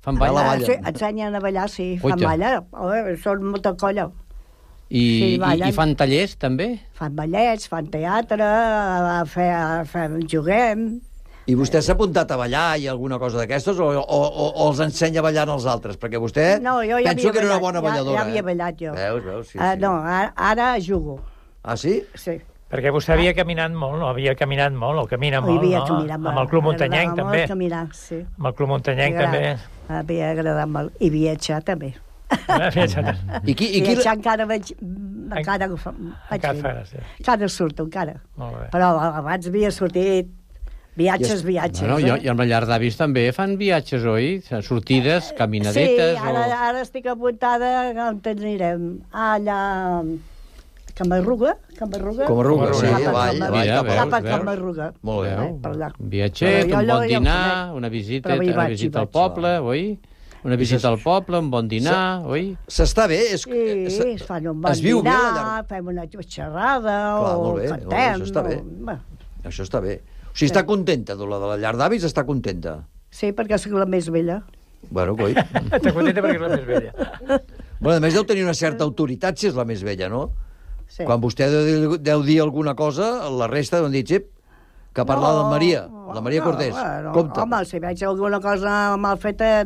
Fan balla? Sí, ensenyen a ballar, sí, fan balla. Són molta colla. I fan tallers, també? Fan ballets, fan teatre, juguem... I vostè s'ha apuntat a ballar i alguna cosa d'aquestes o els ensenya a ballar als altres? Perquè vostè penso que era una bona balladora. Ja havia ballat jo. Veus, sí. No, ara jugo. Ah, sí? Sí. Perquè vostè havia caminat molt, no? Havia caminat molt, o camina molt, no? Amb el Club Muntanyenc, també. Caminar, sí. Amb el Club Muntanyenc, també. M'havia agradat molt. I viatjar, també. Viatjar encara vaig... Encara surto, encara. Però abans havia sortit viatges. Bueno, i amb la llar d'avis també fan viatges, oi? Sortides, caminadetes... Sí, ara estic apuntada, on anirem? Allà... Camarruga, sí, cap a Camarruga. Molt bé. Viatget, un bon dinar, una visita al poble, oi? Una visita al poble, un bon dinar, oi? S'està bé? Sí, es fan un bon dinar, fem una xerrada, o cantem... Això està bé. O sigui, està contenta, de la llar d'avis està contenta. Sí, perquè soc la més vella. Bueno, coi. Està contenta perquè és la més vella. Bueno, a més deu tenir una certa autoritat si és la més vella, no? Sí. Quan vostè deu dir alguna cosa, la resta deuen dir, que ha parlat de la Maria Cortés. Compte. Home, si veig alguna cosa mal feta,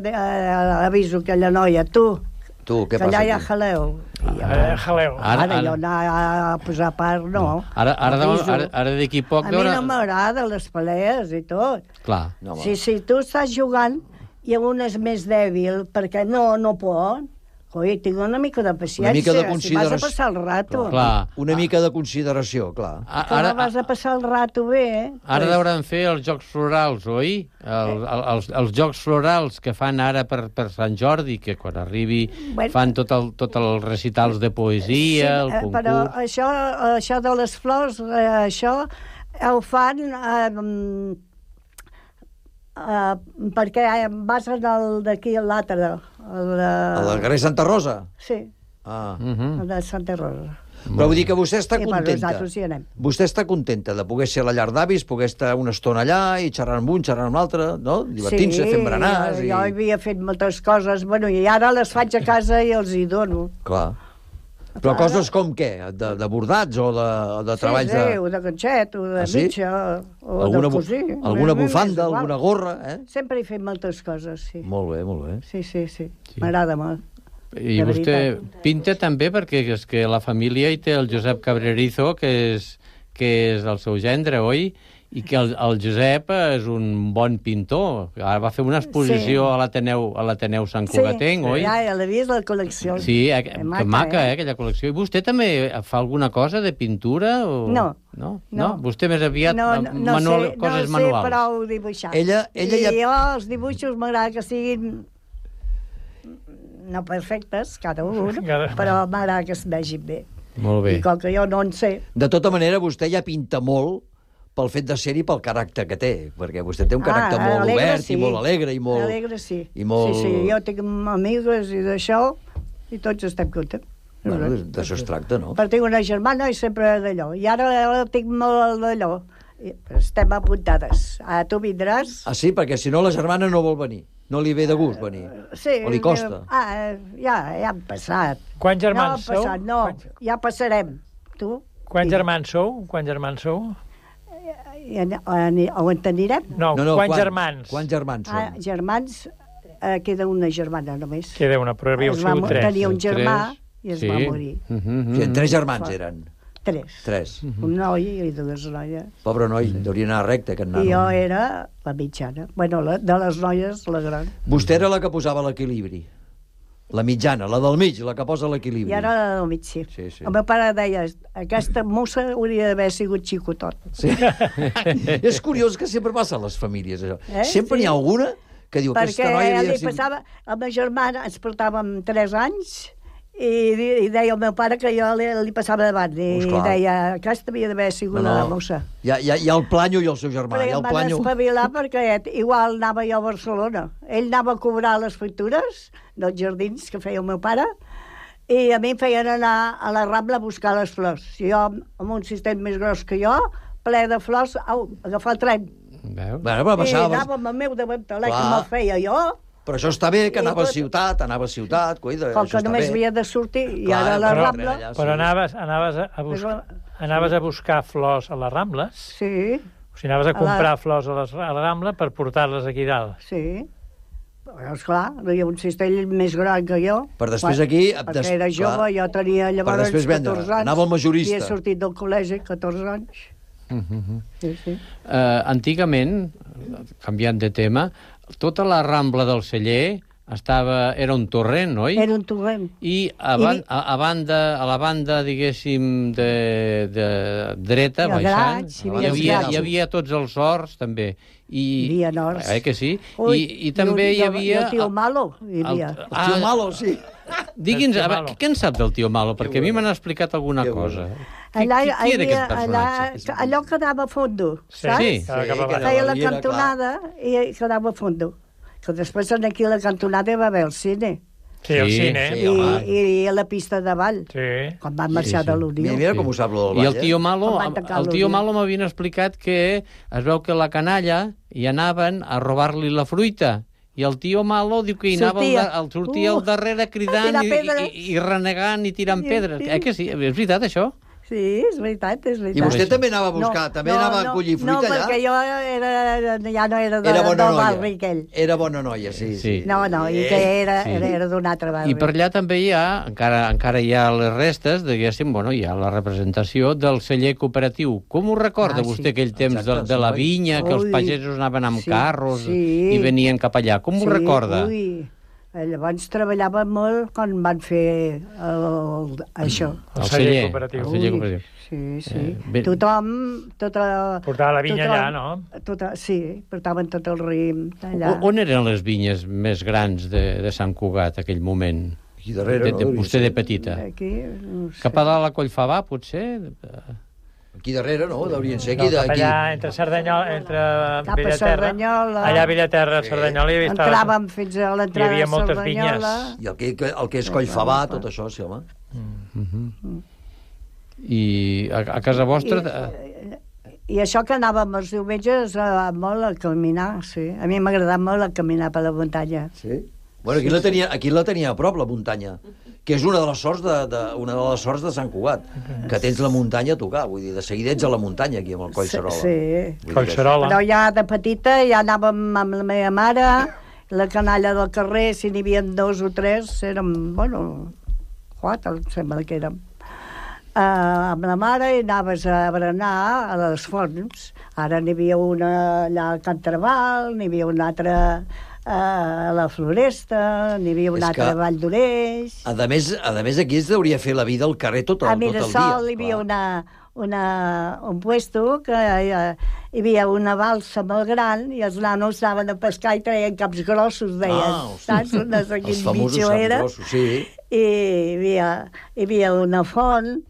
aviso aquella noia, tu, què que passa allà hi ha aquí? jaleu. Ara jo anar a posar part, no. Ara d'aquí poc... A mi no m'agrada les pelees i tot. Clar. Si tu estàs jugant i un és més dèbil perquè no pot, oi, tinc una mica de paciència, si vas a passar el rato. Una mica de consideració, clar. Ara vas a passar el rato bé. Ara hauran fer els Jocs Florals, oi? Els Jocs Florals que fan ara per Sant Jordi, que quan arribi fan tot els recitals de poesia, el concurs... Però això de les flors, això ho fan... perquè vas d'aquí a l'altre... A la carrer Santa Rosa? Sí, a la Santa Rosa. Però vull dir que vostè està contenta. Nosaltres hi anem. Vostè està contenta de poder ser a la llar d'avis, poder estar una estona allà i xerrar amb un, xerrar amb l'altre, no? Divertint-se, fent berenars... Sí, jo havia fet moltes coses, i ara les faig a casa i els hi dono. Clar. Però coses com què? De bordats o de treballs de... Sí, o de ganxet, o de mitja, o de cosir. Alguna bufanda, alguna gorra, Sempre he fet moltes coses, sí. Molt bé. Sí. M'agrada molt. I vostè pinta també perquè és que la família hi té el Josep Cabrerizo, que és el seu gendre, oi? I que el Josep és un bon pintor. Ara va fer una exposició a l'Ateneu Sant Cugatenc, oi? Sí, ja l'he vist, la col·lecció. Sí, que maca, aquella col·lecció. I vostè també fa alguna cosa de pintura? No. No? Vostè més aviat coses manuals? No sé prou dibuixar. Jo els dibuixos m'agrada que siguin no perfectes, cada un, però m'agrada que es vegin bé. Molt bé. I com que jo no en sé... De tota manera, vostè ja pinta molt pel fet de ser-hi, pel caràcter que té, perquè vostè té un caràcter molt obert i molt alegre i molt... Alegre, sí. Sí, jo tinc amigues i d'això, i tots estem contents. Bueno, d'això es tracta, no? Però tinc una germana i sempre d'allò. I ara tinc molt d'allò. Estem apuntades. Tu vindràs? Ah, sí? Perquè si no la germana no vol venir. No li ve de gust venir. Sí. O li costa? Ja han passat. Quants germans sou? No, ja passarem. Tu? Quants germans sou? On t'anirem? No, quants germans? Quants germans són? Germans, queda una germana només. Queda una, però havíeu sigut 3. Tenia un germà i es va morir. Sí, 3 germans eren. 3. Un noi i 2 noies. Pobre noi, hauria d'anar recte, aquest nano. I jo era la mitjana. Bueno, de les noies, la gran. Vostè era la que posava l'equilibri. La mitjana, la del mig, la que posa l'equilibri. I ara la del mig, sí. Sí, sí. El meu pare deia, aquesta mossa hauria d'haver sigut xicotot. Sí. És curiós que sempre passa a les famílies, això. Sempre n'hi ha alguna que diu, aquesta noia havia sigut... Perquè a ma germana ens portàvem 3 anys i deia el meu pare que jo li passava davant i deia, aquesta havia d'haver sigut la mossa. Hi ha el Planyo i el seu germà. Però em van espavilar perquè igual anava jo a Barcelona. Ell anava a cobrar les factures dels jardins que feia el meu pare i a mi em feien anar a la Rambla a buscar les flors. I jo, amb un cistell més gros que jo, ple de flors, agafar el tren. Bueno, I anava amb el meu davantaler que me'l feia jo. Però això està bé, que anava a ciutat, cuida, com que només havia de sortir i ara a la Rambla... Però anaves a buscar flors a les Rambles? Sí. O sigui, anaves a comprar flors a la Rambla per portar-les aquí dalt? Sí. Esclar, hi ha un cistell més gran que jo. Per després aquí... Perquè era jove, jo tenia llavors 14 anys. Anava al majorista. I he sortit del col·legi 14 anys. Sí. Antigament, canviant de tema, tota la Rambla del Celler era un torrent, oi? Era un torrent. I a la banda, diguéssim, de dreta, baixant, hi havia tots els horts, també. Hi havia horts. Que sí? I també hi havia... El tio Malo hi havia. El tio Malo, sí. Digui'ns, què en sap del tio Malo? Perquè a mi m'han explicat alguna cosa. Qui era aquest personatge? Allò quedava a fondo, saps? Sí. Feia la cantonada i quedava a fondo. Que després aquí a la cantonada hi va haver el cine. Sí, el cine. I a la pista de ball, quan van marxar de l'Unió. Mira com ho sap lo del ball. I el tio Malo m'havien explicat que es veu que la canalla hi anaven a robar-li la fruita. I el tio Malo diu que hi sortia al darrere cridant i renegant i tirant pedres. Que sí? És veritat, això? Sí, és veritat. I vostè també anava a buscar, anava a collir fruita allà? No, perquè jo ja no era del barri aquell. Era bona noia, sí. No, i que era d'un altre barri. I per allà també hi ha, encara hi ha les restes, diguéssim, hi ha la representació del celler cooperatiu. Com ho recorda vostè aquell temps de la vinya, que els pagesos anaven amb carros i venien cap allà? Com ho recorda? Llavors treballava molt quan van fer això. El celler cooperatiu. Sí. Tothom... Portava la vinya allà, no? Sí, portaven tot el rim allà. On eren les vinyes més grans de Sant Cugat, aquell moment? Aquí darrere, no? Vostè de petita. Aquí, no sé. Cap a dalt a Collfabà, potser? Aquí darrere, no? Deurien ser aquí. Allà, entre Cerdanyola, cap a Cerdanyola. Allà a Villaterra, Cerdanyola, entràvem fins a l'entrada de Cerdanyola. I el que és Collfabà, tot això, sí, home. I a casa vostra... I això que anàvem els diumenges molt a caminar, sí. A mi m'ha molt a caminar per la muntanya. Sí? Bueno, aquí la tenia a prop, la muntanya, que és una de les sorts de Sant Cugat, que tens la muntanya a tocar, vull dir, de seguida ets a la muntanya aquí amb el Collserola. Sí. Collserola. Però ja de petita ja anàvem amb la meva mare, la canalla del carrer, si n'hi havia 2 o 3, érem, 4, em sembla que érem. Amb la mare i anaves a berenar a les fonts. Ara n'hi havia una allà a Can Trabal, n'hi havia una altra a la Floresta, n'hi havia una altra a Vall d'Oreix. A més, aquí es deuria fer la vida al carrer tot el dia. A Mirasol hi havia un puesto que hi havia una balsa molt gran i els nanos anaven a pescar i treien caps grossos, deien. Saps? No sé quin bitxo era. Sí. I hi havia una font,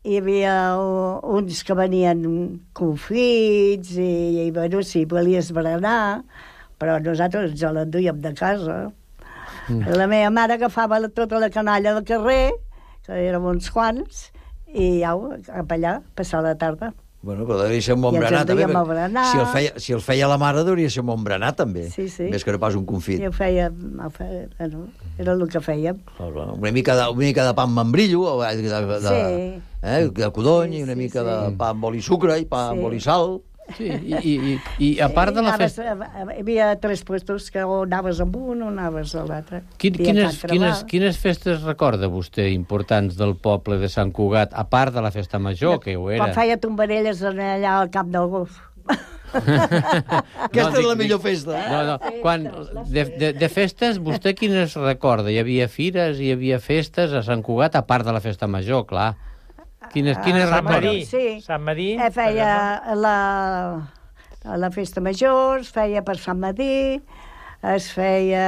hi havia uns que venien confits i bueno, si volies berenar, però nosaltres ens l'enduíem de casa. La meva mare agafava tota la canalla del carrer, que érem uns quants, i cap allà, passar la tarda. Bueno, però devia ser un bon berenar, també. Si el feia la mare, deuria ser un bon berenar, també. Sí. Més que no pas un confit. I ho fèiem, era el que fèiem. Una mica de pa amb membrillo, de codony, i una mica de pa amb oli sucre i pa amb oli sal. Sí, i a part de la festa... Hi havia 3 puestos que o anaves amb un o anaves a l'altre. Quines festes recorda vostè importants del poble de Sant Cugat, a part de la festa major, que ho era? Quan feia tombarelles allà al Camp del Golf. Aquesta és la millor festa. No. Quan, de festes, vostè quines recorda? Hi havia fires, hi havia festes a Sant Cugat, a part de la festa major, clar. Quines recorda? Sant Madí. Feia la festa major, es feia per Sant Madí, es feia...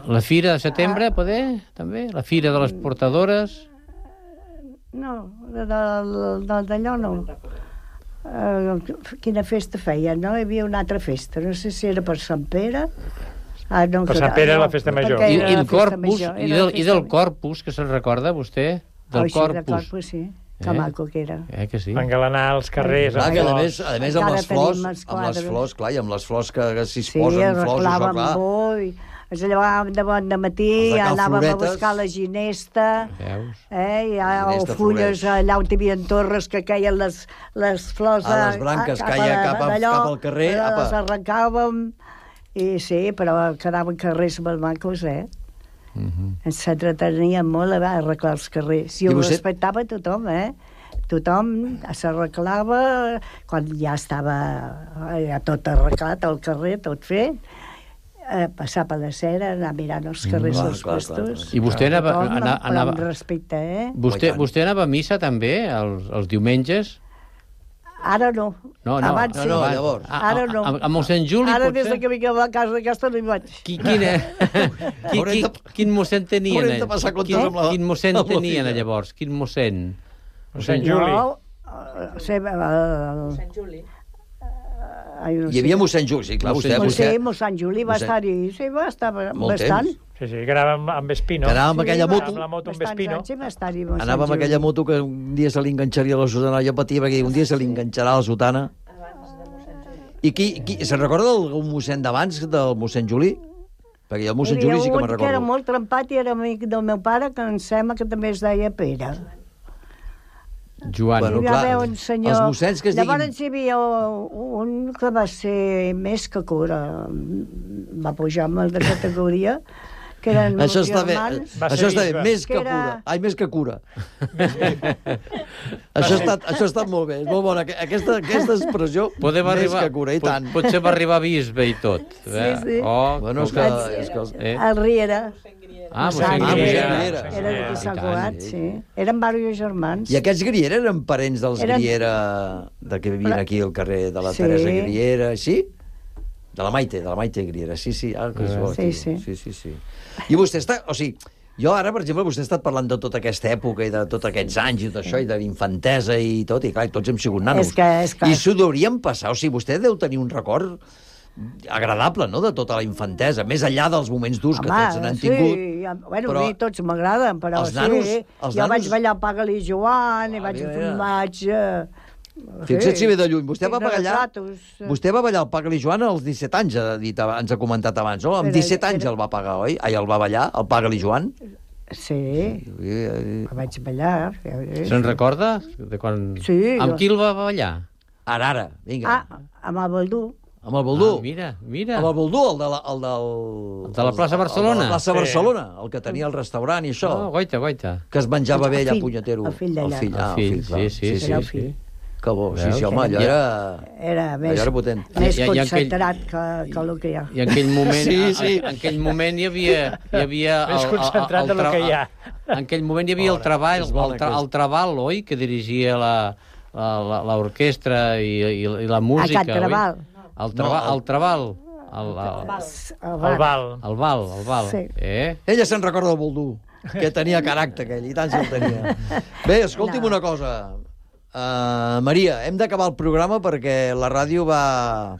La fira de setembre, poder, també? La fira de les portadores? No, d'allò no. Quina festa feia, no? Hi havia una altra festa, no sé si era per Sant Pere. No, per Sant Pere era la festa major. I el Corpus, i del Corpus, que se'n recorda vostè? Del Corpus. Sí, que maco que era. Que sí. Engalanar els carrers. Clar, que a més amb les flors, clar, i amb les flors que si es posen flors, això, clar. Sí, ens llevàvem de bon de matí, anàvem a buscar la ginesta, o fulles allà on hi havia torres que caien les flors a les branques, caia cap al carrer. Les arrencàvem, i sí, però quedaven carrers molt macos, Ens s'entretenien molt a arreglar els carrers. I ho respectava tothom, Tothom s'arreglava quan ja estava tot arreglat, el carrer, tot fet. Passar per la cera, anar mirant els carrers dels puestos. I vostè anava... Amb respecte, Vostè anava a missa també, els diumenges? Ara no. Abans sí. Llavors. Ara no. A mossèn Juli, potser? Ara des que vinc a la casa d'aquesta no hi vaig. Quin mossèn tenien? Haurem de passar comptes amb la... Quin mossèn tenien llavors? Quin mossèn? Mossèn Juli. Mossèn Juli. Hi havia mossèn Juli, sí, clar. Mossèn Juli va estar-hi, sí, va estar bastant. Sí, que anàvem amb Espino. Que anàvem amb aquella moto. Amb la moto amb Espino. Anàvem amb aquella moto que un dia se li enganxaria la sotana. Jo patia perquè un dia se li enganxarà la sotana. I se'n recorda d'algun mossèn d'abans, del mossèn Juli? Perquè jo el mossèn Juli sí que me'n recordo. Que era molt trempat i era amic del meu pare, que em sembla que també es deia Pere. Joan. Bueno, clar, els mossèns que es diguin... Llavors hi havia un que va ser més que cura. Va pujar molt de categoria, que eren això meus germans. Això està bé, més que cura. Ai, més que cura. Això ha estat molt bé, és molt bona. Aquesta expressió, més que cura, i tant. Potser va arribar bisbe i tot. Sí. Bueno, és que... El Riera. Mossèn Griera. Era de Sant Cugat, sí. Eren diversos germans. I aquests Griera eren parents dels Griera, que vivien aquí al carrer de la Teresa Griera, sí? De la Maite Griera, sí. Sí. I vostè està... O sigui, jo ara, per exemple, vostè ha estat parlant de tota aquesta època i de tots aquests anys i tot això, i de l'infantesa i tot, i clar, tots hem sigut nanos. I s'ho deuríem passar, o sigui, vostè deu tenir un record agradable, no?, de tota la infantesa, més enllà dels moments durs que tots n'han tingut. Bueno, a mi tots m'agraden, però sí. Jo vaig ballar Paga-li Joan, i vaig... Fixa't si ve de lluny. Vostè va ballar el Paga-li Joan als 17 anys, ens ha comentat abans, no? Amb 17 anys el va pagar, oi? El va ballar, el Paga-li Joan? Sí, vaig ballar. Se'n recorda? Sí. Amb qui el va ballar? Ara, vinga. Amb el Baldú. Amb el Boldú. Mira. Amb el Boldú, el de la plaça Barcelona. El de la plaça Barcelona, el que tenia el restaurant i això. Goita. Que es menjava bé allà, punyetero. El fill d'allà. El fill, sí. Que bo, sí, home, allò era més potent. Més concentrat que el que hi ha. I en aquell moment, en aquell moment hi havia més concentrat del que hi ha. En aquell moment hi havia el Trabal, oi?, que dirigia l'orquestra i la música, oi? Trabal. El Trabal. El Val. Sí. Ella se'n recorda del Boldú, que tenia caràcter aquell, i tant se'l tenia. Bé, escolti'm una cosa. Maria, hem d'acabar el programa perquè la ràdio va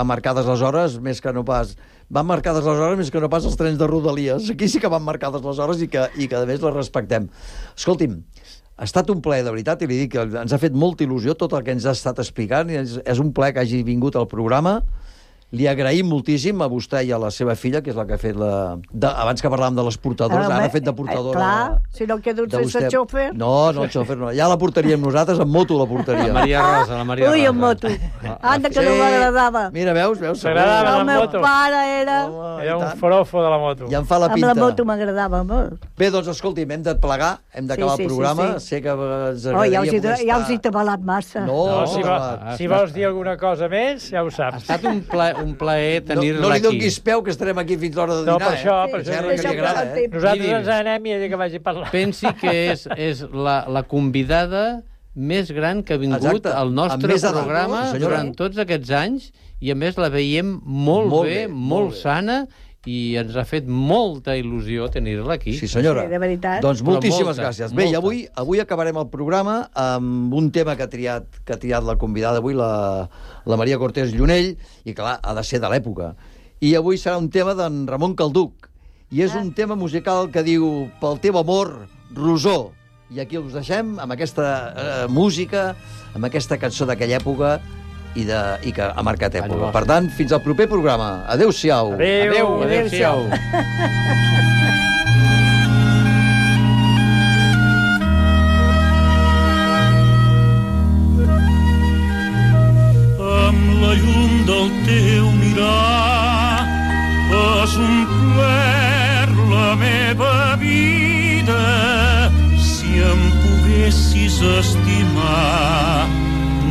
marcades les hores més que no pas... Van marcades les hores més que no pas els trens de Rodalies. Aquí sí que van marcades les hores i que a més les respectem. Escolti'm, ha estat un plaer, de veritat, i li dic que ens ha fet molta il·lusió tot el que ens ha estat explicant. És un plaer que hagi vingut al programa. li agraïm moltíssim a vostè i a la seva filla, que és la que ha fet abans que parlàvem de les portadores, ara ha fet de portadora... Clar, si no quedo sense xòfer... No, el xòfer no. Ja la portaríem nosaltres, en moto la portaríem. La Maria Rosa, Ui, en moto. Anda, que no m'agradava. Mira, veus? T'agradava la moto? El meu pare era... Era un forofo de la moto. Ja em fa la pinta. Amb la moto m'agradava molt. Bé, doncs, escolti'm, hem de plegar, hem d'acabar el programa. Sé que ens agradaria poder estar... Ja us he tabalat massa. No, si vols dir alguna cosa més, ja ho saps. Ha estat un plaer tenir-la aquí. No li donis peu, que estarem aquí fins l'hora de dinar. No, per això. Nosaltres ens anem i ella que vagi a parlar. Pensi que és la convidada més gran que ha vingut al nostre programa durant tots aquests anys, i a més la veiem molt bé, molt sana, i ens ha fet molta il·lusió tenir-la aquí. Sí, senyora. Sí, de veritat. Doncs moltíssimes gràcies. Bé, i avui acabarem el programa amb un tema que ha triat la convidada avui, la Maria Cortés Llunell, i clar, ha de ser de l'època. I avui serà un tema d'en Ramon Calduc, i és un tema musical que diu Pel teu amor, Rosó. I aquí us deixem amb aquesta música, amb aquesta cançó d'aquella època, i que ha marcat època. Per tant, fins al proper programa. Adéu-siau. Adéu-siau. Amb la llum del teu mirar has omplert la meva vida. Si em poguessis estimar,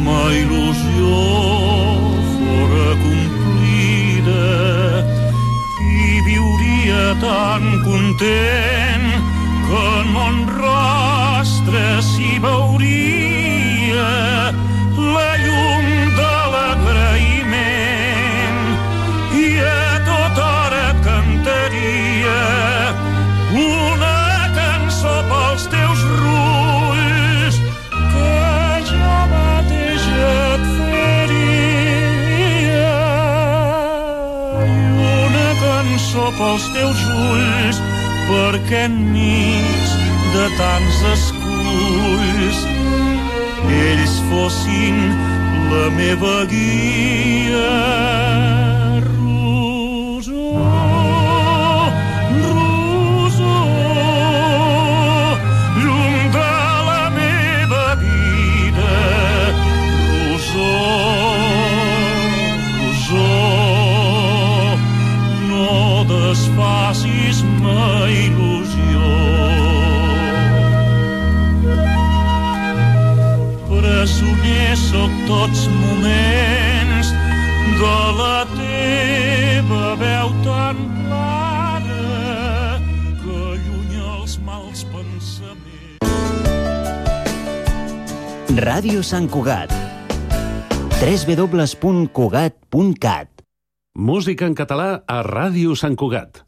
ma il·lusió fora complida i viuria tan content que en mon rostre s'hi veuria la llum de l'agraïment i a tota hora cantaria una cançó pels teus rulls que jo mateix et faria, i una cançó pels teus ulls perquè enmig de tants esculls ells fossin la meva guia. Desfacis ma il·lusió. Presoner sóc tots moments de la teva veu tan clara que allunya els mals pensaments. Ràdio Sant Cugat. www.cugat.cat. Música en català a Ràdio Sant Cugat.